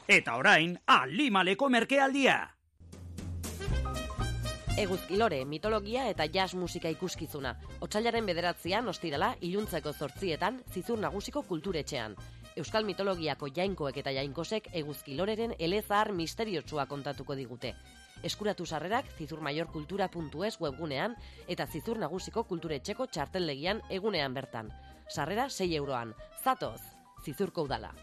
Eta orain, Alimaleko merkealdia. Eguzkilore, mitologia eta jazz musika ikuskizuna. Otsailaren bederatzian, ostirala, iluntzeko zortzietan, Zizur Nagusiko kulturetxean. Euskal mitologiako jainkoek eta jainkosek Eguzkiloreren elezahar misteriotsua kontatuko digute. Eskuratu sarrerak zizurmaiorkultura puntu es webgunean eta Zizur Nagusiko kulturetxeko txartellegian egunean bertan. Sarrera sei euroan. Zatoz, Zizurko udala.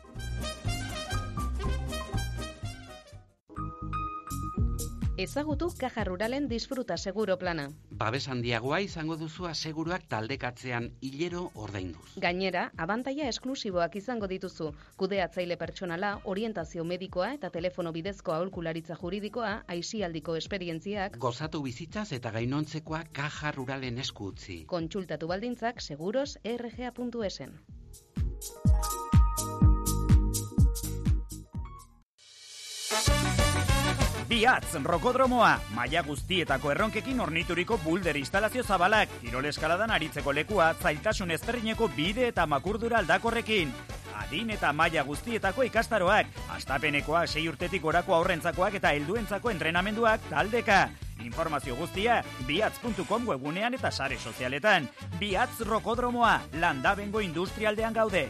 Ezagutu Caja Ruralen disfruta seguro plana. Babes handiagoa izango duzu aseguruak taldekatzean hilero ordainduz. Gainera, abantaila esklusiboak izango dituzu. Kudeatzaile pertsonala, orientazio medikoa eta telefono bidezko aholkularitza juridikoa, aisialdiko esperientziak. Gozatu bizitzaz eta gainontzekoa Caja Ruralen esku utzi. Kontsultatu baldintzak seguros erre ge a puntu esen. Biatz, rokodromoa, maila guztietako erronkekin ornituriko bulder instalazio zabalak, kirol eskaladan aritzeko lekua, zailtasun ezberdineko bide eta makurdura aldakorrekin. Adin eta maila guztietako ikastaroak, astapenekoa sei urtetik gorako aurrentzakoak eta helduentzako entrenamenduak taldeka. Informazio guztia, biatz puntu com webunean eta sare sozialetan. Biatz rokodromoa, Landabengo industrialdean gaude.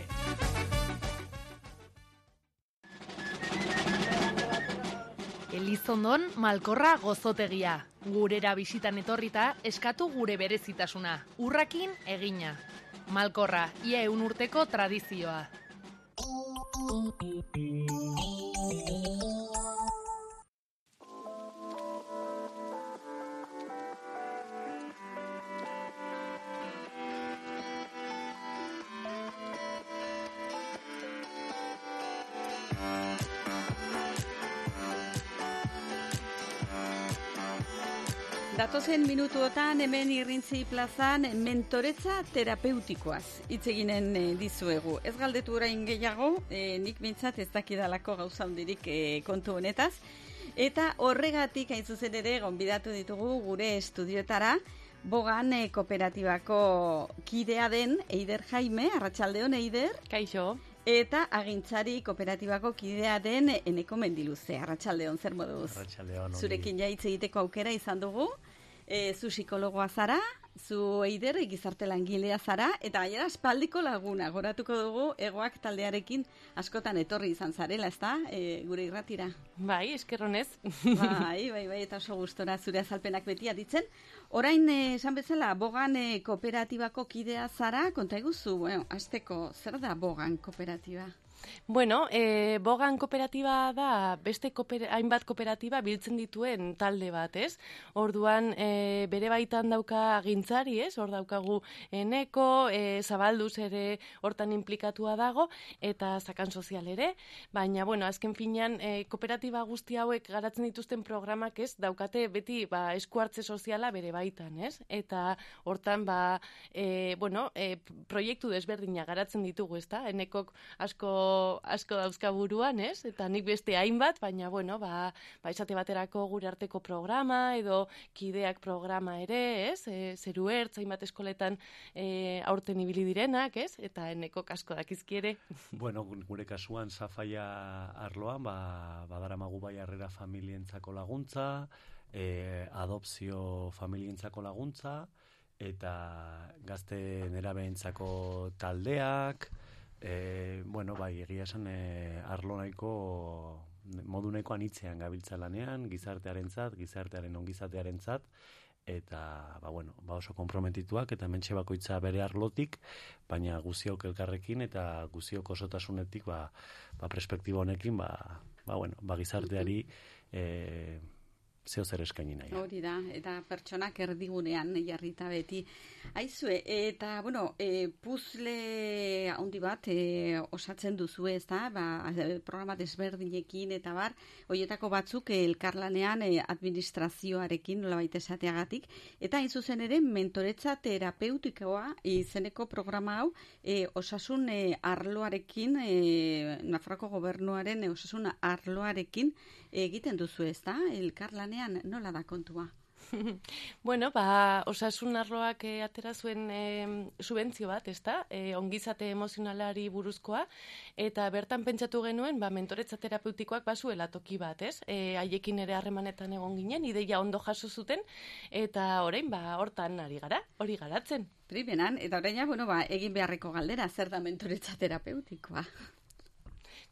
Elizondon Malkorra gozotegia. Gurera bisitan etorrita eskatu gure berezitasuna. Urrakin egina. Malkorra, ia eun urteko tradizioa. Datozen minutuotan hemen Irrintzi plazan mentoretza terapeutikoaz hitz eginen dizuegu. Ez galdetu orain gehiago, e, nik bintzat ez dakidalako gauza handirik e, kontu honetaz. Eta horregatik hain zuzen ere gonbidatu ditugu gure estudiotara, Bogan e, kooperatibako kidea den Eider Jaime, arratsaldeon Eider. Kaixo. Eta agintzari kooperatibako kidea den Eneko Mendiluze. Arratsaldeon, zer moduz? Arratsaldeon. Zurekin ja hitz egiteko aukera izan dugu. E, zu psikologoa zara, zu Eider gizarte langilea zara, eta gainera aspaldiko laguna, goratuko dugu egoak taldearekin askotan etorri izan zarela, ezta? E, gure irratira. Bai, eskerronez. Bai, bai, bai, eta oso gustora zure azalpenak beti aditzen. Orain, eh, esan bezala, Bogan eh, kooperatibako kidea zara, konta eguzu, bueno, azteko, zer da Bogan kooperatiba? Bueno, e, Bogan kooperatiba da beste kooper, hainbat kooperatiba biltzen dituen talde bat, ez? Orduan, e, bere baitan dauka agintzari, ez? Hor daukagu Eneko, e, Zabalduz ere hortan implikatua dago, eta Zakan Sozial ere, baina, bueno, azken finean, e, kooperatiba guzti hauek garatzen dituzten programak, ez? Daukate beti, ba, esku hartze soziala bere baitan, ez? Eta hortan, ba, e, bueno, e, proiektu desberdina garatzen ditugu, ezta? Enekok asko asko dauzka buruan, ez? Eta nik beste hainbat, baina, bueno, ba, ba esate baterako gure arteko programa, edo kideak programa ere, ez? E, zeru ertz, hainbat eskoletan e, aurten ibili direnak, ez? Eta Enekok asko dakizkiere. Bueno, gure kasuan Zafaia arloan, ba, badaramagu bai harrera familientzako laguntza, e, adopzio familientzako laguntza, eta gazte nerabeentzako taldeak, E, bueno, bai, egia esan e, arlo nahiko, modu nahiko anitzean gabiltza lanean, gizartearentzat, gizartearen ongizatearentzat, eta, ba, bueno, ba oso konprometituak, eta mentxe bakoitza bere arlotik, baina guziok elkarrekin, eta guziok osotasunetik, ba, ba perspektiba honekin, ba, ba, bueno, ba gizarteari, e, zeo zer eskaini nahi. Hori da, eta pertsonak erdigunean jarrita beti. Aizue, eta, bueno, e, puzle handi bat e, osatzen duzu, ez da, ba, programa desberdinekin eta bar, horietako batzuk e, elkarlanean e, administrazioarekin nolabait esateagatik, eta hain zuzen ere mentoretza terapeutikoa izeneko programa hau e, osasun e, arloarekin, e, Nafarroko gobernuaren e, osasun arloarekin egiten duzu, ez da, elkarlanean nola da kontua? Bueno, ba, osasun arloak e, atera zuen e, subentzio bat, ezta? E, ongizate emozionalari buruzkoa, eta bertan pentsatu genuen, ba, mentoretza terapeutikoak bazuela toki bat, ez? E, haiekin ere harremanetan egon ginen, ideia ondo jaso zuten, eta orain, ba, hortan ari gara, hori garatzen. Primeran, eta orain, bueno, ba, egin beharreko galdera, zer da mentoretza terapeutikoa?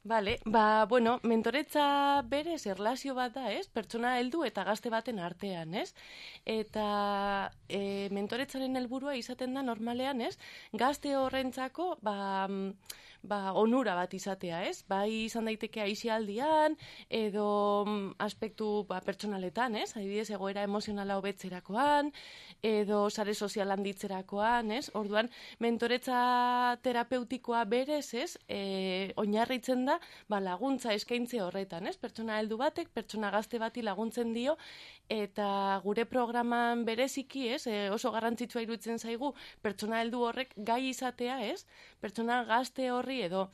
Vale, ba, bueno, mentoretza berez erlazio bat da, ez? Pertsona heldu eta gazte baten artean, ez? Eta e, mentoretzaren helburua izaten da normalean, ez? Gazte horrentzako, ba, ba, onura bat izatea, ez? Bai izan daiteke aisialdian, edo aspektu ba, pertsonaletan, ez? Adibidez, egoera emozionala hobetzerakoan, edo sare sozial handitzerakoan, ez? Orduan, mentoretza terapeutikoa berez, ez? E, oinarritzen da, ba, laguntza eskaintze horretan, ez? Pertsona heldu batek, pertsona gazte bati laguntzen dio, eta gure programan bereziki, ez? E, oso garrantzitsua iruditzen zaigu, pertsona heldu horrek gai izatea, ez? Pertsona gazte horri edo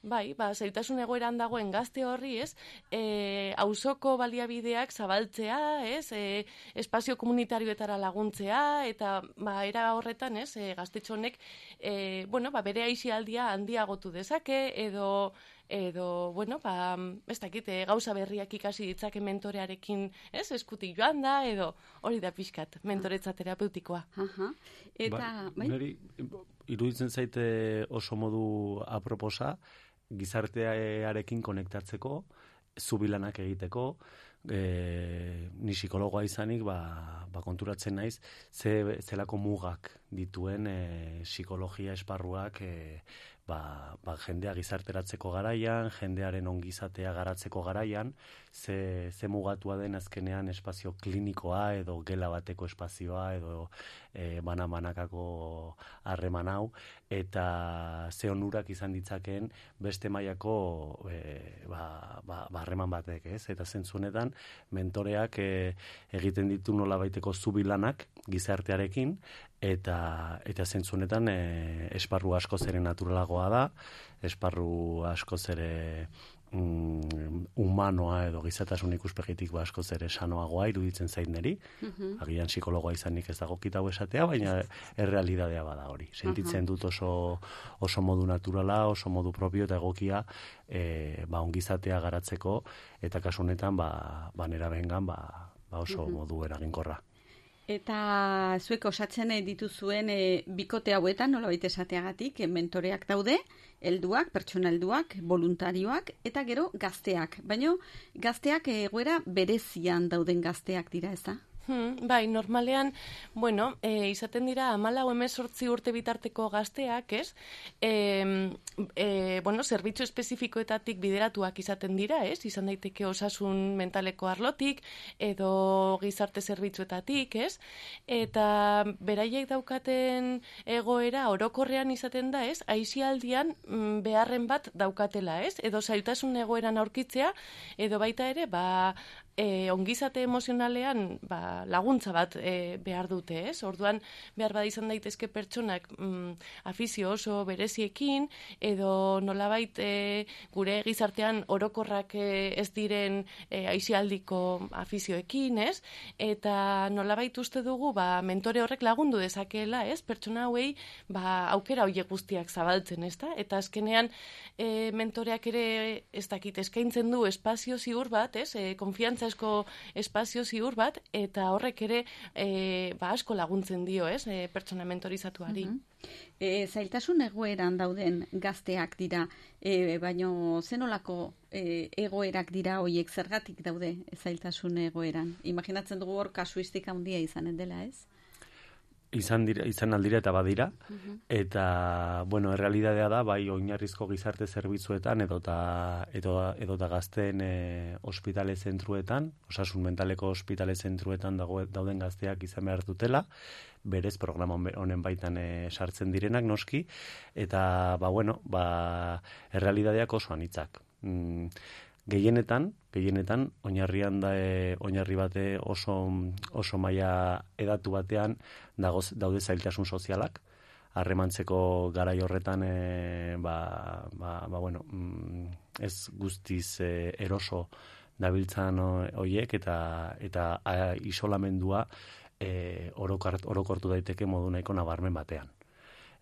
bai, ba, zailtasun egoeran dagoen gazte horri, ez, e, auzoko baliabideak zabaltzea, ez, e, espazio komunitarioetara laguntzea, eta ba, era horretan, ez, e, gaztetxonek, e, bueno, ba, bere aisialdia handiagotu dezake, edo, edo, bueno, ba, ez dakit, e, gauza berriak ikasi ditzake mentorearekin, ez, eskutik joan da, edo hori da pixkat, mentoretza terapeutikoa. Aha. Eta, bai? Neri, iruditzen zaite oso modu aproposa, gizartearekin konektatzeko, zubilanak egiteko, e, ni psikologoa izanik, ba, ba konturatzen naiz, ze, zelako mugak dituen e, psikologia esparruak e, ba, ba, jendea gizarteratzeko garaian, jendearen ongizatea garatzeko garaian, ze, ze mugatua den azkenean espazio klinikoa edo gela bateko espazioa edo e, bana-banakako harreman hau, eta ze onurak izan ditzakeen beste mailako e, ba, ba, ba, harreman batek, ez? Eta zentzunetan mentoreak e, egiten ditu nolabaiteko zubilanak gizartearekin, eta eta zentzunetan e, esparru asko zere naturalagoa da, esparru asko zere mm, humanoa edo gizatasun ikuspegitik ba asko zere sanoagoa iruditzen zait neri. Uh-huh. Agian psikologoa izanik ez dago kitau esatea, baina errealitatea bada hori. Sentitzen dut oso, oso modu naturala, oso modu propio eta egokia e, ba ongizatea garatzeko, eta kasu honetan ba, ba nera bengan ba, ba oso uh-huh. modu eraginkorra. Eta zuek osatzen dituzuen e, bikote hauetan, nolabait esateagatik, e, mentoreak daude, helduak, pertsona helduak, voluntarioak, eta gero gazteak. Baina gazteak egoera berezian dauden gazteak dira, ez da? Hmm, bai, normalean, bueno, e, izaten dira hamalau hemezortzi urte bitarteko gazteak, ez? E, e, bueno, zerbitzu espezifikoetatik bideratuak izaten dira, ez? Izan daiteke osasun mentaleko arlotik, edo gizarte zerbitzuetatik, ez? Eta beraiek daukaten egoera orokorrean izaten da, ez? Aisialdian mm, beharren bat daukatela, ez? Edo zailtasun egoeran aurkitzea, edo baita ere, ba, E, ongizate emozionalean ba, laguntza bat e, behar dute, ez? Orduan, behar bada izan daitezke pertsonak mm, afizio oso bereziekin, edo nolabait e, gure gizartean orokorrak e, ez diren e, aisialdiko afizioekin, ez? Eta nolabait uste dugu, ba, mentore horrek lagundu dezakeela, ez? Pertsona hauei, ba, aukera horiek guztiak zabaltzen, ez da? Eta azkenean, e, mentoreak ere, ez dakit, eskaintzen du espazio ziur bat, ez? E, konfiantza asko espazio ziur bat, eta horrek ere e, ba asko laguntzen dio, ez, e, pertsona mentorizatuari. Uh-huh. e, zailtasun egoeran dauden gazteak dira, e, baino zenolako e, egoerak dira hoiek, zergatik daude zailtasun egoeran? Imaginatzen dugu hor kasuistika handia izanen dela, ez? Izan, dira, izan aldira eta badira, uh-huh. eta, bueno, errealitatea da, bai oinarrizko gizarte zerbitzuetan edota, edota, edota gazteen e, ospitale zentruetan, osasun mentaleko ospitale zentruetan dago, dauden gazteak izan behar dutela, berez programa honen baitan e, sartzen direnak noski, eta, ba, bueno, ba, errealitateak oso anitzak. Mm, Gehienetan, gehienetan, oinarrian da, e, oinarri bate oso, oso maila edatu batean dagoz, daude zailtasun sozialak, harremantzeko garai horretan e, ba, ba, ba, bueno, ez guztiz e, eroso dabiltzan hoiek eta eta a, isolamendua e, orokart, orokortu daiteke modu nahiko nabarmen batean.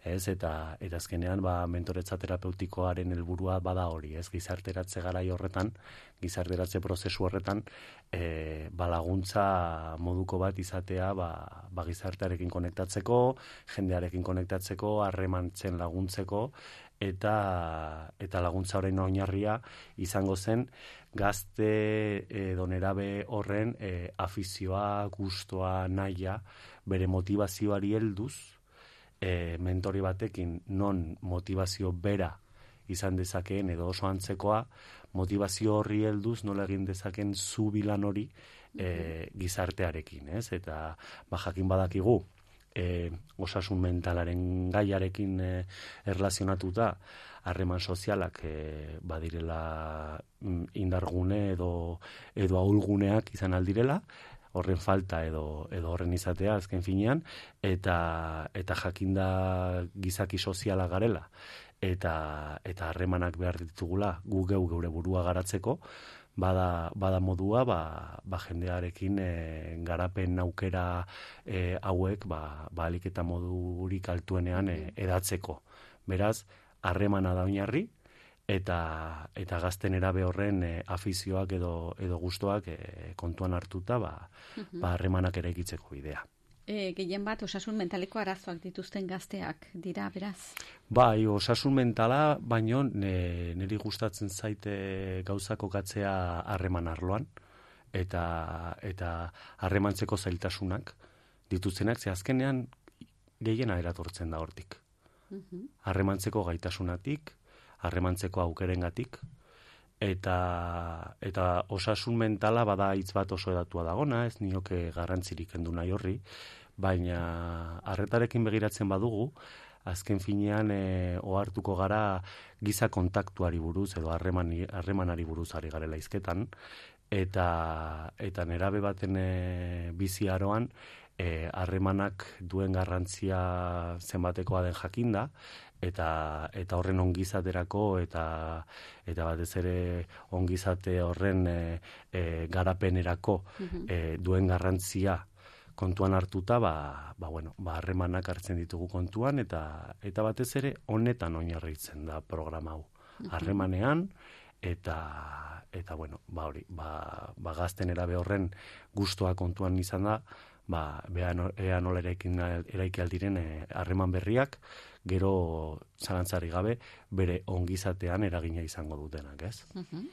Ez, eta, eta azkenean ba, mentoretza terapeutikoaren helburua bada hori, ez, gizarteratze garai horretan, gizarteratze prozesu horretan, e, ba, laguntza moduko bat izatea ba, ba, gizartearekin konektatzeko, jendearekin konektatzeko, harremantzen laguntzeko, eta eta laguntza horren oinarria izango zen gazte edo nerabe horren e, afizioa, gustoa, nahia, bere motivazioari helduz, E, mentori batekin non motivazio bera izan dezakeen edo oso antzekoa, motivazio horri helduz nola egin dezaken zubilan hori e, gizartearekin, ez? Eta ba, jakin badakigu e, osasun mentalaren gaiarekin e, erlazionatuta harreman sozialak e, badirela indargune edo, edo ahulguneak izan aldirela, horren falta edo edo horren izatea azken finean, eta eta jakinda gizaki soziala garela eta eta harremanak behar ditugula gu geu geure burua garatzeko, bada bada modua ba, ba jendearekin e, garapen aukera e, hauek ba ba alik eta modurik altuenean e, edatzeko. Beraz, harremana da oinarri, eta eta gazten erabe horren e, afizioak edo edo gustoak e, kontuan hartuta ba ba harremanak eraikitzeko bidea. E, gehien bat osasun mentaleko arazoak dituzten gazteak dira, beraz. Bai, osasun mentala, baino ne, niri gustatzen zaite gauza kokatzea harreman arloan eta eta harremantzeko zailtasunak dituztenak, ze azkenean gehiena eratortzen da hortik. Harremantzeko gaitasunatik, harremantzeko aukerengatik, eta eta osasun mentala bada hitz bat oso edatua dagona, ez nioke garrantzirik kendu nahi horri, baina arretarekin begiratzen badugu, azken finean e, ohartuko gara giza kontaktuari buruz edo harreman harremanari buruz ari garela hizketan, eta eta nerabe baten e, bizi aroan harremanak e, duen garrantzia zenbatekoa den jakinda, eta eta horren ongizaterako eta eta batez ere ongizate horren e, e, garapenerako e, duen garrantzia kontuan hartuta ba ba bueno, ba harremanak hartzen ditugu kontuan eta eta batez ere honetan oinarritzen da programa hau. Harremanean eta eta bueno, ba hori, ba ba gazten erabe horren gustoa kontuan izan da, ba bea ea nola eraiki aldiren harreman berriak gero zalantzari gabe bere ongizatean eragina izango dutenak, ez? Uh-huh.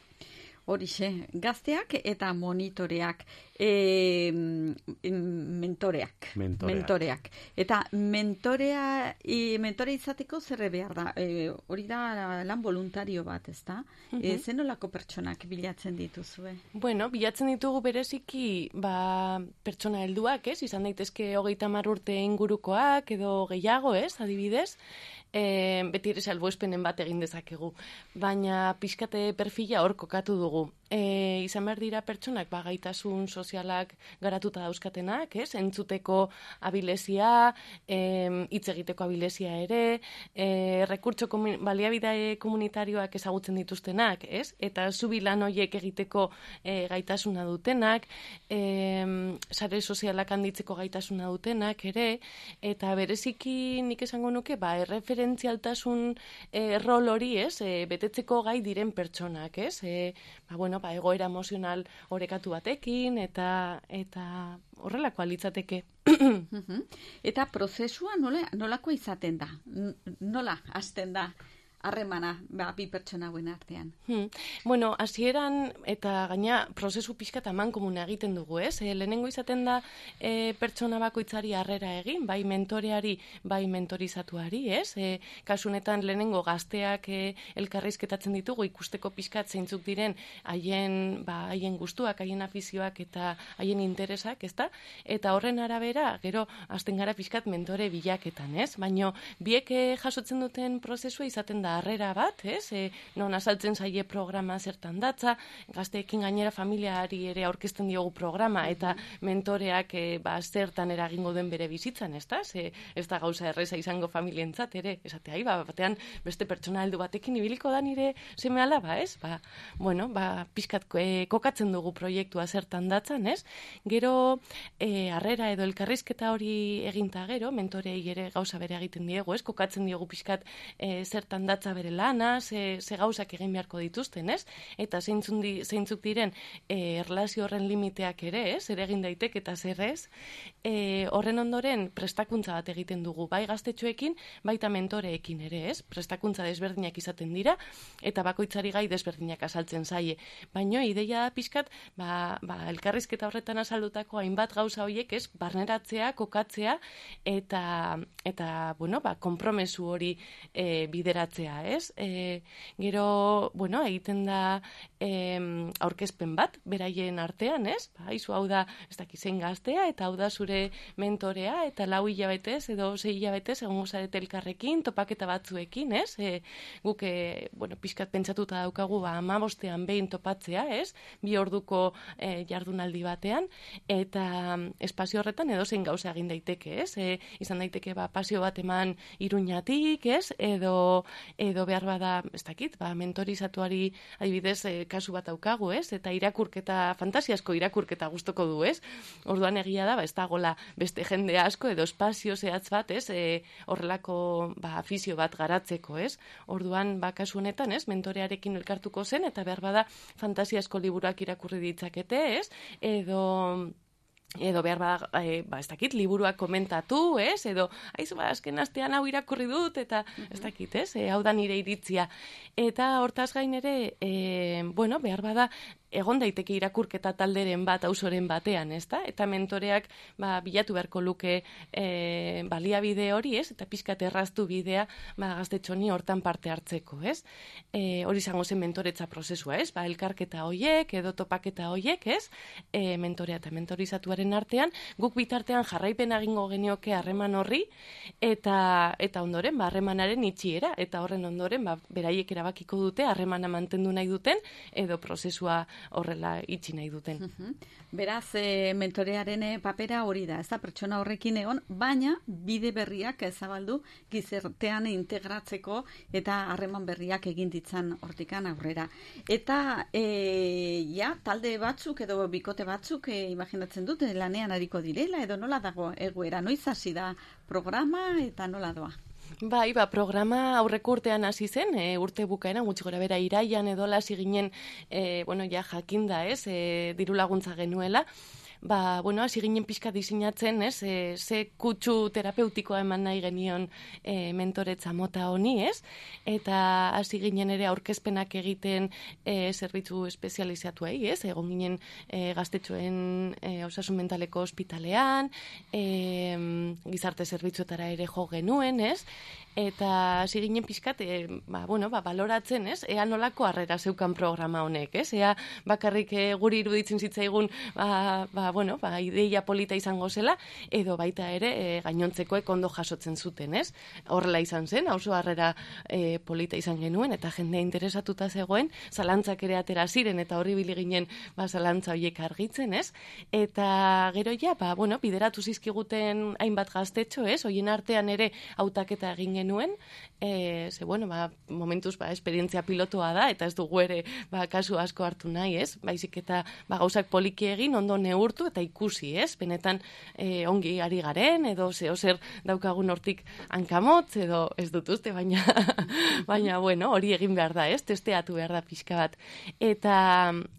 Horixe, gazteak eta monitoreak, e, mentoreak, mentoreak, mentoreak. Eta mentorea, e, mentore izateko zerre behar da, e, hori da lan voluntario bat, ez da? Uh-huh. E, zenolako pertsonak bilatzen dituzue? Bueno, bilatzen ditugu bereziki, ba, pertsona helduak, ez? Izan daitezke hogeita hamar urte ingurukoak, edo gehiago, ez? Adibidez, e, beti ere salbuespenen bat egin dezakegu. Baina pixkate perfila hor kokatu dugu. E, izan behar dira pertsonak ba, gaitasun sozialak garatuta dauzkatenak, ez? Entzuteko abilezia, hitz egiteko abilezia ere, e, rekurtso komun, baliabide komunitarioak ezagutzen dituztenak, ez? Eta zubi lan horiek egiteko e, gaitasuna dutenak, e, sare sozialak handitzeko gaitasuna dutenak ere, eta bereziki nik esango nuke, ba, erreferentzialtasun e, rol hori, ez? E, betetzeko gai diren pertsonak, ez? E, ba, bueno, ba, egoera emozional orekatu batekin, eta eta horrelakoa litzateke. Eta prozesua nola, nolakoa izaten da? Nola hasten da harremana ba, bi pertsona hauen artean? Hmm. Bueno, hasieran eta gaina prozesu pixka eta mankomuna egiten dugu, ez? E, lehenengo izaten da e, pertsona bakoitzari harrera egin, bai mentoreari, bai mentorizatuari, ez? E, kasunetan lehenengo gazteak e, elkarrizketatzen ditugu ikusteko pixkat zeintzuk diren haien, ba, haien gustuak, haien afizioak eta haien interesak, ezta? Eta horren arabera, gero hasten gara pixkat mentore bilaketan, ez? Baina biek e, jasotzen duten prozesua izaten da da harrera bat, ez? E, non azaltzen zaie programa zertan datza, gazteekin gainera familiari ere aurkezten diogu programa, eta mentoreak e, ba, zertan eragingo duen bere bizitzan, ez da? Ze, ez da gauza erreza izango familientzat ere, esatea, ba, batean beste pertsona heldu batekin ibiliko da nire seme alaba, ez? Ba, bueno, ba, pixkat e, kokatzen dugu proiektua zertan datzan, ez? Gero, e, harrera edo elkarrizketa hori eginta gero, mentorei ere gauza bere egiten diegu, ez? Kokatzen diogu pixkat e, zertan datza bere lana, ze, ze gauzak egin beharko dituzten, ez? Eta zeintzuk, di, zeintzuk diren e, erlazio horren limiteak ere, ez? Zer egin daitek eta zer ez? E, horren ondoren prestakuntza bat egiten dugu, bai gaztetxoekin, baita mentoreekin ere, ez? Prestakuntza desberdinak izaten dira, eta bakoitzari gai desberdinak azaltzen zaie. Baino, ideia da pixkat, ba, ba, elkarrizketa horretan azaldutako hainbat gauza horiek, ez? Barneratzea, kokatzea, eta, eta bueno, ba, kompromesu hori e, bideratzea, ez? E, gero, bueno, egiten da e, aurkezpen bat, beraien artean, ez? Ba, izu hau da, ez dakizen gaztea, eta hau da zure mentorea, eta lau hilabetez, edo sei hilabetez, egongo zarete elkarrekin, topaketa batzuekin, ez? E, guk, e, bueno, pixkat pentsatuta daukagu, ba, amabostean behin topatzea, ez? Bi orduko e, jardunaldi batean, eta espazio horretan edo zein gauza egin daiteke, ez? E, izan daiteke, ba, pasio bat eman Iruñatik, ez? Edo, edo behar bada, ez dakit, ba, mentorizatuari adibidez e, kasu bat daukagu, ez? Eta irakurketa, fantasiasko irakurketa gustoko du, ez? Orduan egia da, ba, ez dagoela beste jende asko edo espazio zehatz bat, ez? E, horrelako, ba, afizio bat garatzeko, ez? Orduan, ba, kasu honetan, ez? Mentorearekin elkartuko zen, eta behar bada fantasiasko liburuak irakurri ditzakete, ez? Edo... edo behar bada, e, ba, ez dakit, liburuak komentatu, ez? Edo, aizu, ba, azken astean hau irakurri dut, eta ez dakit, ez? E, hau da nire iritzia. Eta hortaz gain ere, e, bueno, behar bada, egon daiteke irakurketa talderen bat, auzoren batean, ez da? Eta mentoreak ba, bilatu beharko luke e, baliabide hori, ez? Eta pixkat erraztu bidea ba, gaztetxoni hortan parte hartzeko, ez? E, hori izango zen mentoretza prozesua, ez? Ba, elkarketa hoiek, edo topaketa hoiek, ez? E, mentorea eta mentorizatuaren artean, guk bitartean jarraipen egingo genioke harreman horri, eta eta ondoren, ba, harremanaren itxiera, eta horren ondoren, ba, beraiek erabakiko dute, harremana mantendu nahi duten, edo prozesua horrela itxi nahi duten. Beraz, e, mentorearen papera hori da, ez da pertsona horrekin egon, baina bide berriak zabaldu gizartean integratzeko eta harreman berriak egin ditzan hortikan aurrera. Eta e, ja, talde batzuk edo bikote batzuk e, imaginatzen dute lanean ariko direla, edo nola dago egoera, noiz hasi da programa eta nola doa? Bai, ba, programa aurreko urtean hasi zen, e, urte bukaeran, gutxi gora bera iraian edo hasi ginen, e, bueno, ja jakinda, ez, e, diru laguntza genuela, ba, bueno, hasi ginen pixka diseinatzen, ez, e, ze kutsu terapeutikoa eman nahi genion e, mentoretza mota honi, ez, eta hasi ginen ere aurkezpenak egiten e, zerbitzu espezializatuei, ez, egon ginen e, gaztetxoen e, osasun mentaleko ospitalean, e, gizarte zerbitzuetara ere jo genuen, ez, eta hasi ginen pixkat, e, ba, bueno, ba, baloratzen, ez, ea nolako harrera zeukan programa honek, ez, ea bakarrik e, guri iruditzen zitzaigun, ba, ba, bueno, ba, ideia polita izango zela, edo baita ere e, gainontzekoek ondo jasotzen zuten, ez? Horrela izan zen, oso harrera e, polita izan genuen, eta jendea interesatuta zegoen, zalantzak ere atera ziren, eta horri bili ginen ba, zalantza horiek argitzen, ez? Eta gero ja, ba, bueno, bideratu zizkiguten hainbat gaztetxo, ez? Hoien artean ere hautaketa egin genuen, e, ze, bueno, ba, momentuz, ba, esperientzia pilotoa da, eta ez dugu ere, ba, kasu asko hartu nahi, ez? Baizik eta, ba, gauzak poliki egin, ondo neurtu, eta ikusi, ez? Benetan e, ongi ari garen, edo zeo zer daukagun hortik hankamotz, edo ez dut uste, baina, baina, bueno, hori egin behar da, ez? Testeatu behar da pixka bat. Eta,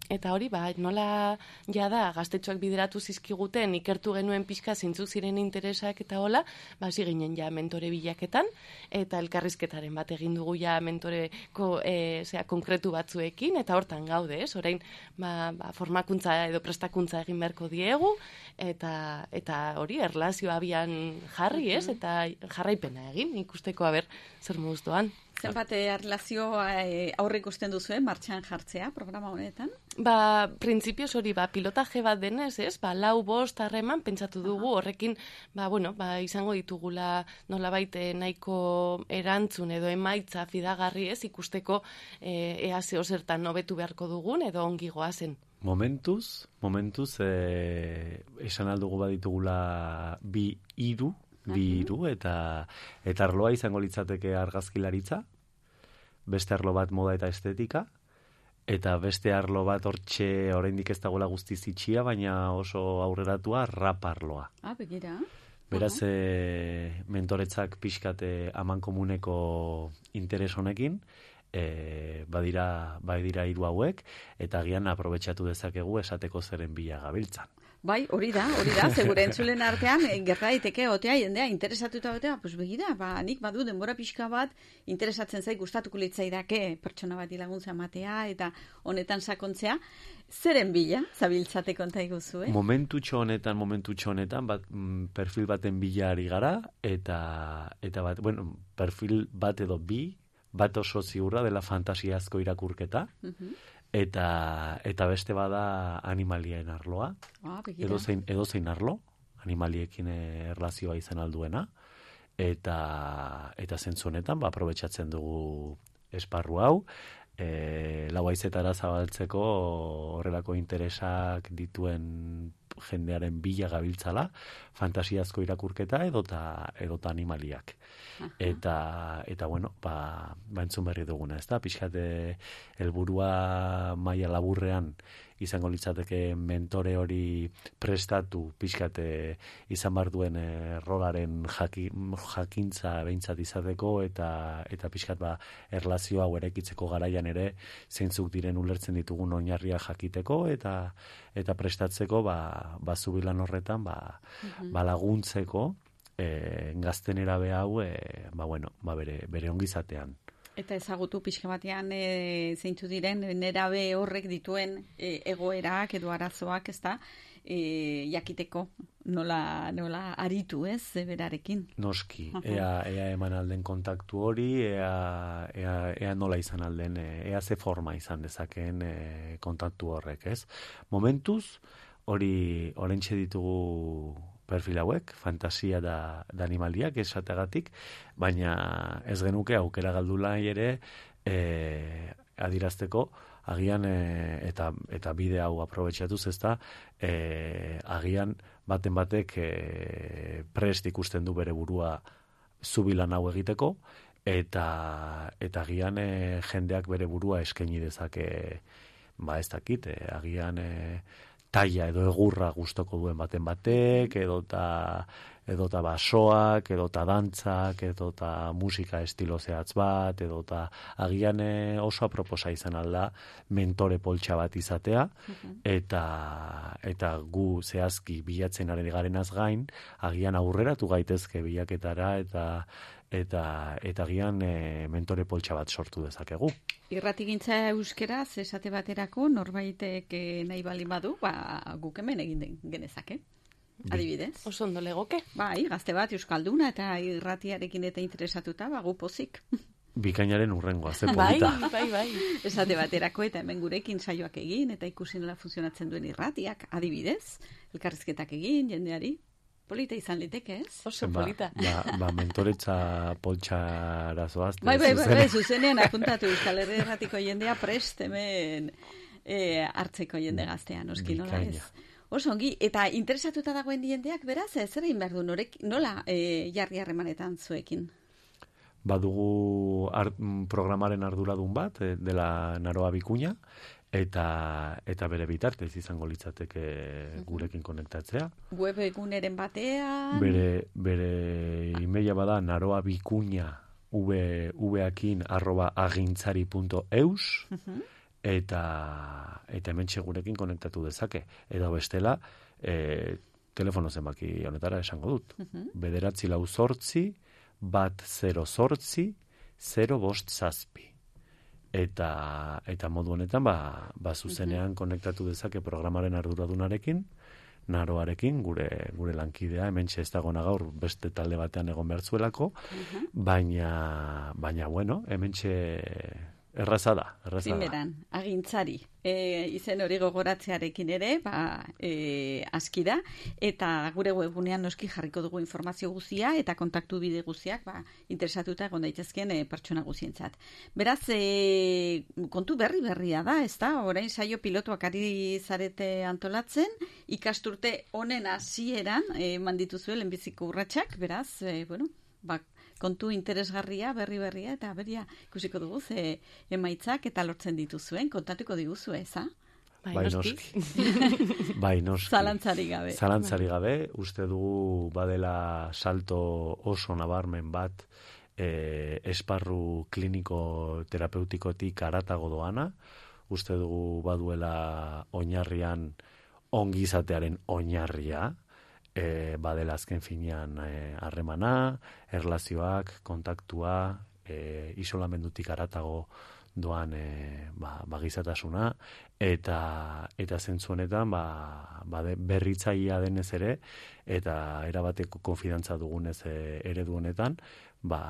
eta hori, ba, nola jada gaztetxoak bideratu zizkiguten, ikertu genuen pixka zeintzuk ziren interesak eta hola, ba, ginen ja mentore bilaketan, eta elkarrizketaren bat egin dugu ja mentoreko e, zera, konkretu batzuekin, eta hortan gaude, ez? Orain, ba, ba, formakuntza edo prestakuntza egin beharko diegu, eta eta hori erlazioa abian jarri, ez? Eta jarraipena egin, ikusteko aber zer moduz doan. Zenbat erlazio aurre ikusten duzu, martxan jartzea programa honetan? ba, printzipioz hori, ba, pilotaje bat denez, ez? Ba, lau bost harreman pentsatu dugu horrekin, ba, bueno, ba, izango ditugula nolabait nahiko erantzun edo emaitza fidagarri, ez? Ikusteko e, ea zeo zertan hobetu beharko dugun edo ongi goazen. Momentuz, momentuz, eh, esan aldugu baditugula bi hiru, bi hiru, eta, eta arloa izango litzateke argazkilaritza, beste arlo bat moda eta estetika, eta beste arlo bat hortxe oraindik ez dagoela guztiz itxia, baina oso aurreratua rap arloa. Ah, begira. Beraz, e, mentoretzak pixkate aman komuneko interes honekin, e, badira, badira hiru hauek, eta agian aprobetxatu dezakegu esateko zeren bila gabiltzan. Bai, hori da, hori da, segure entzulen artean, gerta daiteke otea, jendea, interesatuta otea, pues begira, ba, nik badu denbora pixka bat, interesatzen zait, gustatuko litzaidake pertsona bat laguntza matea, eta honetan sakontzea, zeren bila, zabiltzate konta iguzu, eh? Momentutxo honetan, momentutxo honetan, bat, perfil baten bila ari gara, eta, eta bat, bueno, perfil bat edo bi, bat oso ziurra dela fantasiazko irakurketa, uh-huh. Eta, eta beste bada animalien arloa, ah, edo, zein, edo zein arlo, animaliekin erlazioa izan alduena, eta, eta zentzu honetan, ba, aprobetxatzen dugu esparru hau, e, lau haizetara zabaltzeko horrelako interesak dituen jendearen bila gabiltzala, fantasiazko irakurketa edota, edota animaliak. Aha. Eta, eta bueno, ba, ba entzun berri duguna, ez da? Pixkate helburua maila laburrean izango litzateke mentore hori prestatu, pixkate izan bar duen e, rolaren jaki, jakintza behintzat izateko, eta, eta pixkat ba, erlazio hau erekitzeko garaian ere zeintzuk diren ulertzen ditugun oinarria jakiteko, eta eta prestatzeko ba, ba zubilan horretan ba, uh-huh. ba laguntzeko e, gazten erabe hau e, ba, bueno, ba bere, bere ongizatean. Eta ezagutu pixka batean e, zeintzu diren nerabe horrek dituen e, egoerak edo arazoak, ez da, e, jakiteko nola, nola aritu, ez, berarekin. Noski, ea, ea eman alden kontaktu hori, ea, ea, ea nola izan alden, ea ze forma izan dezakeen e, kontaktu horrek, ez. Momentuz, hori orentxe ditugu perfil hauek, fantasia da, da animaliak esategatik, baina ez genuke aukera galdula ere e, adirazteko, agian e, eta, eta bide hau aprobetxatuz ezta, e, agian baten batek e, prest ikusten du bere burua zubilan hau egiteko, eta, eta agian e, jendeak bere burua eskaini dezake, ba ez dakit, e, agian e, taia edo egurra gustoko duen baten batek, edota edota basoak, edota dantzak, edota musika estilo zehatz bat, edota agian oso aproposa izan alda mentore poltsa bat izatea, uh-huh. eta eta gu zehazki bilatzen ari garenaz gain, agian aurreratu gaitezke bilaketara, eta eta eta agian e, mentore poltsa bat sortu dezakegu. Irratigintza euskeraz esate baterako norbaitek nahi baldin badu, ba guk hemen egin den genezake. Adibidez. Oso ondo legoke. Bai, gazte bat euskalduna eta irratiarekin eta interesatuta, ba gu pozik. Bikainaren urrengoa, ze polita. Bai, bai, bai. Esate baterako eta hemen gurekin saioak egin eta ikusi nola funtzionatzen duen irratiak, adibidez, elkarrizketak egin jendeari. Polita izan liteke, ez? Oso polita. Ba, ba, ba mentoretza poltsara zoazte. Bai, bai, bai, bai, zuzenean apuntatu Euskal Herri Erratiko jendea prest hemen e, hartzeko jende gaztean, oski nola ez? Oso ongi, eta interesatuta dagoen jendeak beraz, zer egin behar du, norek, nola e, jarri harremanetan zuekin? Badugu art, programaren arduradun bat, dela Naroa Bikuña, eta eta bere bitartez izango litzateke gurekin konektatzea. Web eguneren batean. Bere bere emaila bada naroa bikuña v vakin arroba agintzari punto eus uh-huh. eta eta hementxe gurekin konektatu dezake. Edo bestela, e, telefono zenbaki honetara esango dut. Uh-huh. Bederatzi lau zortzi, bat zero zortzi, zero bost zazpi. Eta, eta modu honetan ba, ba zuzenean uh-huh. konektatu dezake programaren arduradunarekin, Naroarekin, gure gure lankidea, hementxe ez dagona gaur beste talde batean egon behar zuelako, uh-huh. baina, baina bueno, hementxe Erraza da, erraza da. Primeran, agintzari. E, izen hori gogoratzearekin ere, ba, e, aski da, eta gure webunean noski jarriko dugu informazio guzia eta kontaktu bide guziak, ba, interesatuta egon daitezkeen e, pertsona guzientzat. Beraz, e, kontu berri berria da, ez da? Orain saio pilotuak ari zarete antolatzen, ikasturte honen hasieran e, mandituzue lehenbiziko urratsak, beraz, e, bueno, ba, kontu interesgarria, berri berria, eta beria ikusiko dugu ze emaitzak eta lortzen dituzuen, kontatuko diguzu, eza? Bai, noski. Bai, noski. Zalantzari gabe. Zalantzari gabe, uste dugu badela salto oso nabarmen bat e, esparru kliniko terapeutikotik aratago doana, uste dugu baduela oinarrian ongizatearen oinarria, E, badela azken finean harremana, e, erlazioak, kontaktua, e, isolamendutik aratago doan e, ba, bagizatasuna, eta eta zentzu honetan ba, ba berritzailea denez ere, eta erabateko konfidantza dugunez e, eredu honetan, ba,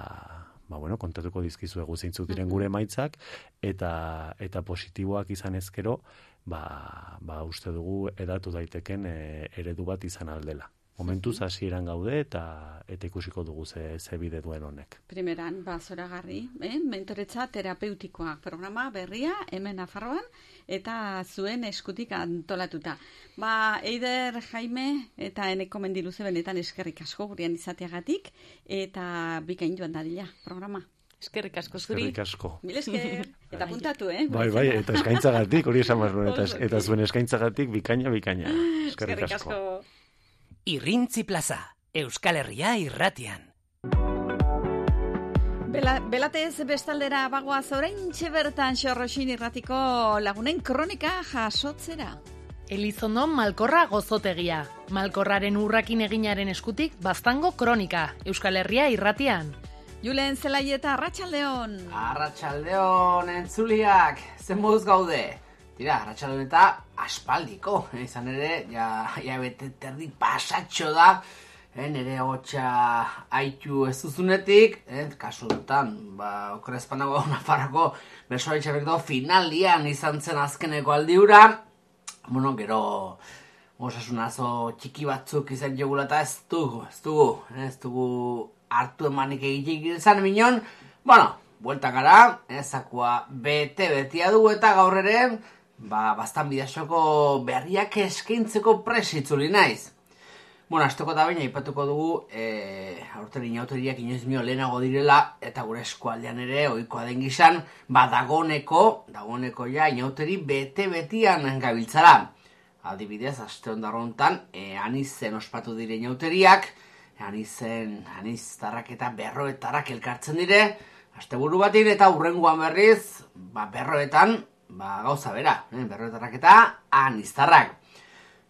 ba bueno, kontatuko dizkizuegu zeintzuk diren gure emaitzak, eta eta positiboak izan ezkero, ba, ba uste dugu edatu daiteken e, eredu bat izan aldela. Momentuz hasieran gaude eta eta ikusiko dugu ze, ze bide duen honek. Primeran, ba, zoragarri, eh? Mentoretza terapeutikoa programa berria, hemen Nafarroan, eta zuen eskutik antolatuta. Ba, Eider, Jaime, eta eneko mendiluze benetan eskerrik asko gurean izateagatik, eta bikain joan dadila programa. Eskerrik asko zuri. Eskerrik asko. Mil esker. Eta puntatu, eh? Bai, bai, eta eskaintzagatik, hori esan behar eta, eta zuen eskaintzagatik bikaina, bikaina. Eskerrik asko. Eskerrik asko. Irrintzi Plaza, Euskal Herria irratian. Bela, belatez bestaldera bagoaz oraintxe bertan Xorroxin irratiko lagunen kronika jasotzera. Elizondo Malkorra gozotegia. Malkorraren urrakin eginaren eskutik Baztango kronika, Euskal Herria irratian. Julen Zelaieta, Arratsaldeon. Arratsaldeon, entzuliak, zen moduz gaude. Tira, Arratsaldeon eta aspaldiko, eh, izan ere, ja, ja bete terdi pasatxo da, eh, nire hotxa haitu ez duzunetik, eh, kasu dutan, ba, okorrezpanago Nafarroko bersoaritxarrek do finalian izan zen azkeneko aldiura, bueno, gero osasunazo txiki batzuk izan jogula eta ez dugu, ez dugu, eh, ez dugu hartu emanik egitek izan minon, bueno, buelta gara, eh, zakua bete-betia dugu eta gaur ere, ba, bastan bidasoko berriak eskaintzeko presitzuli naiz. Bueno, azteko da baina ipatuko dugu, e, aurten inauteriak inoiz mio lehenago direla, eta gure eskualdean ere, ohikoa den gizan, ba, dagoneko, dagoneko ja, inauteri bete-betian gabiltzara. Adibidez, aste ondarrontan, e, anizen ospatu dire inauteriak, anizen, aniztarrak eta berroetarrak elkartzen dire, aste buru batin eta hurrengoan berriz, ba, berroetan, ba, gauza bera, eh? Berroetarrak eta aniztarrak.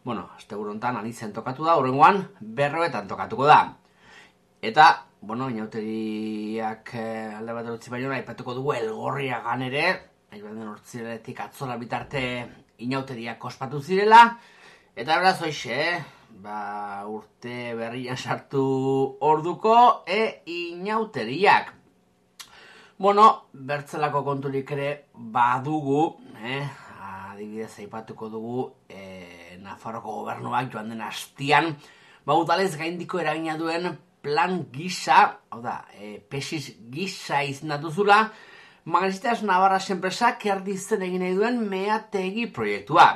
Bueno, azte burontan anizen tokatu da, horrengoan berroetan tokatuko da. Eta, bueno, inauteriak eh, alde bat erutzi baino aipatuko dugu Elgorriagan ere, aibaten hortziretik atzola bitarte inauteriak ospatu zirela, eta beraz hoxe, eh? Ba, urte berrian sartu orduko e inauteriak. Bueno, bertzelako konturik ere badugu, eh? Adibidez aipatuko dugu eh, Nafarroko gobernuak joan den hastian, ba, udalez gaindiko eragina duen plan gisa, hau da, eh, pesis gisa izenatu zula, Magazitas Navarras enpresak erdizen egin nahi duen meategi proiektua.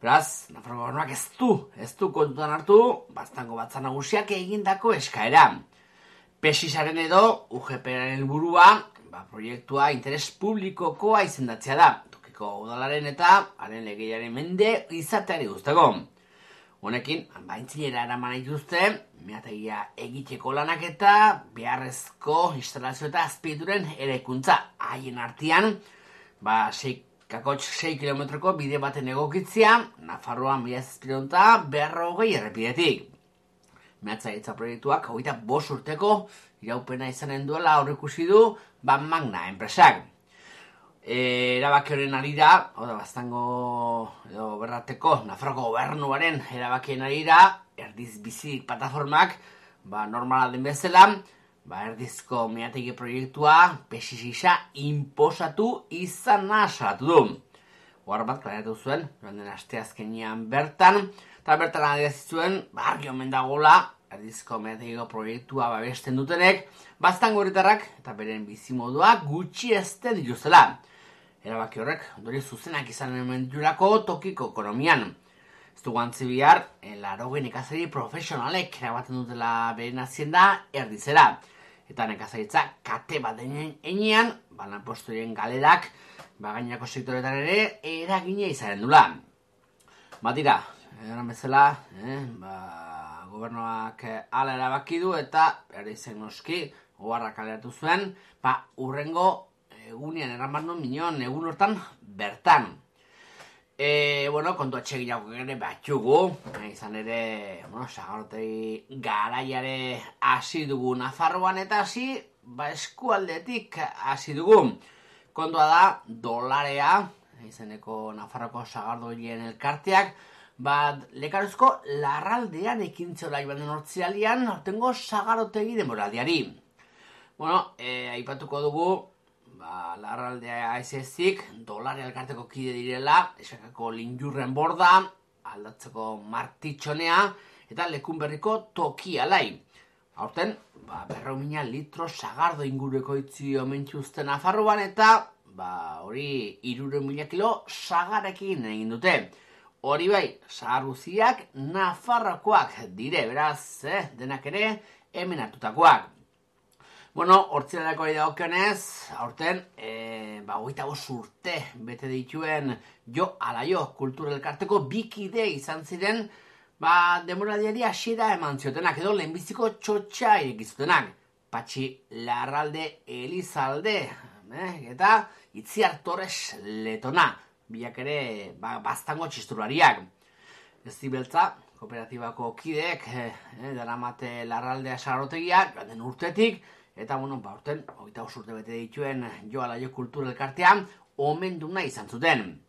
Beraz, Nafarroko gobernuak ez du, ez du kontutan hartu, Baztango Batzar Nagusiak egindako eskaera. Pesisaren edo U G P-aren helburua, ba, proiektua interes publikokoa izendatzea da, tokiko udalaren eta haren legeiaren mende izateari guzteko. Honekin, baintzinera eraman dituzte, meategia egiteko lanak eta beharrezko instalazio eta azpiegituren eraikuntza haien artean, ba, sei kilometroko bide baten egokitzea, Nafarroan mila zazpiehun eta berrogei errepidetik. Mehatzailtza proiektuak hogeita bost urteko iraupena izanen duela aurreikusi du Ban Magna enpresak. E, erabaki horren arira, hau da, Baztango edo berrateko Nafarroko gobernuaren erabakien arira, erdiz bizi plataformak, ba, normala den bezala, ba, erdizko meategi proiektua pesisisa inposatu izana salatu du. Ohar bat klaratu zuen, joan den asteazkenean bertan, eta bertan adierazi zuen, ba, argi omen dagoela, erdizko meategiko proiektua babesten dutenek, baztango herritarrak eta beren bizimodua gutxiesten dituztela. Erabaki horrek, ondori zuzenak izan hemen ditulako tokiko ekonomian. Ez dugu antzi bihar, laurogei nekazari profesionalek erabaten dutela beren hazienda erdizera. Eta nekazaritza kate bat denean enean, balan postoien galerak, bagainako sektoretan ere, eragina izanen dula. Batira, eran bezala, eh, ba, gobernuak ala erabaki du eta erdizen noski, oharrak kaleratu zuen, ba, urrengo egunean erraman duen minon, egun hortan bertan. E, bueno, kontu atxeginak ere batxugu, izan ere, bueno, sagarotei garaiare hasi dugu Nafarroan eta hasi, ba, eskualdetik hasi dugu. Kontua da, dolarea, izeneko Nafarroko sagardoien elkarteak, ba, lekaruzko larraldean ekintzola iban den hortzialian, hortengo sagarotegi demoraldiari. Bueno, e, aipatuko dugu, ba, larraldea aizezik, dolare elkarteko kide direla, esakako linjurren borda, aldatzeko martitxonea, eta lekun berriko tokialai. Aurten, ba, berreu mina litro sagardo ingurueko itzi omentxuzten Nafarroan, eta ba, hori hirurehun mila kilo sagarekin egin dute. Hori bai, sagar guziak Nafarrokoak dire, beraz, eh, denak ere hemen hartutakoak. Bueno, hortzilarako ari dagokionez, aurten, e, ba, hogeita bost urte bete dituen Jo ala Jo kulturelkarteko bikide izan ziren, ba, demoraldiari hasiera eman ziotenak, edo lehenbiziko txotxa irekizutenak. Patxi Larralde Elizalde, eh, eta Itziar Torres Letona, biak ere, ba, baztango txisturariak. Ez zibeltza, kooperatibako kideek, eh, daramate Larraldea sagarotegia, joan den urtetik, eta, bueno, ba, urten, hogeita bost urte bete dituen Jo ala Jo kulturelkartean, omenduna izan zuten.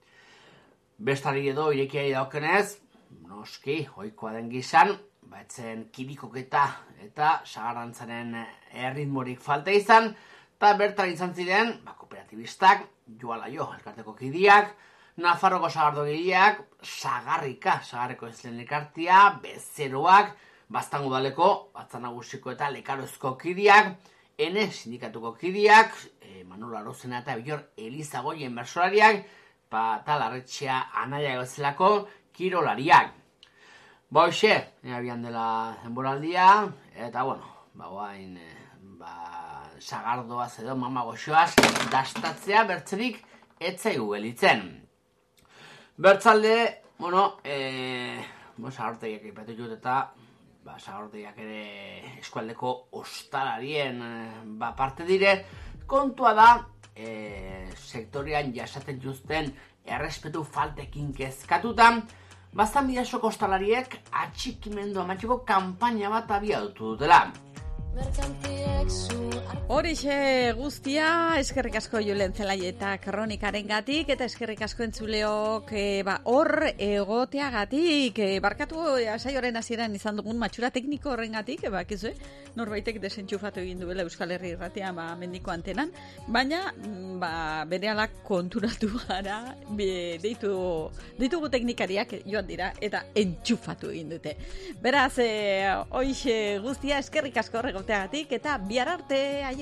Bestari edo irekiari daukenez, noski, ohikoa den gizan, ba, etzen kirikoketa eta sagarantzaren erritmorik falta izan, eta bertan izan ziren, ba, kooperatibistak, Jo ala Jo elkarteko kidiak, Nafarroko sagardogileak, sagarrika, sagarreko ezlen elkartia, bezeroak, baztango daleko, batzan nagusiko eta lekarozko kidiak, ene sindikatuko kidiak, e, Manolo Arozena eta Bilor Elizagoien bersolariak, eta Larretxea Anaia gozelako kirolariak. Ba, hoxe, abian dela denboraldia, eta, bueno, ba, guain, ba, sagardoaz edo mamagoxoaz dastatzea bertzerik etzaigu gelitzen. Bertzalde, bueno, e, bueno, sagardotegiak ipatu jut eta, ba, sagardotegiak ere eskualdeko ostalarien ba, parte dire, kontua da e, sektorian jasaten juzten errespetu faltekin kezkatutan, baztan bidasoko ostalariek atxikimendu amatxiko kanpaina bat abiatutu dutela. Horixe guztia, eskerrik asko Julen Zelai eta kronikaren gatik, eta eskerrik asko entzuleok e, ba, hor egoteagatik, e, barkatu saioaren hasieran izan dugun matxura tekniko horren gatik, e, bakizu, norbaitek desentxufatu egin duela Euskal Herri Irratia ba, mendiko antenan, baina ba, berehala konturatu gara, be, deitu, deitugu teknikariak joan dira, eta entxufatu egin dute. Beraz, e, horixe guztia, eskerrik asko horregoteagatik, eta bihar arte, aio!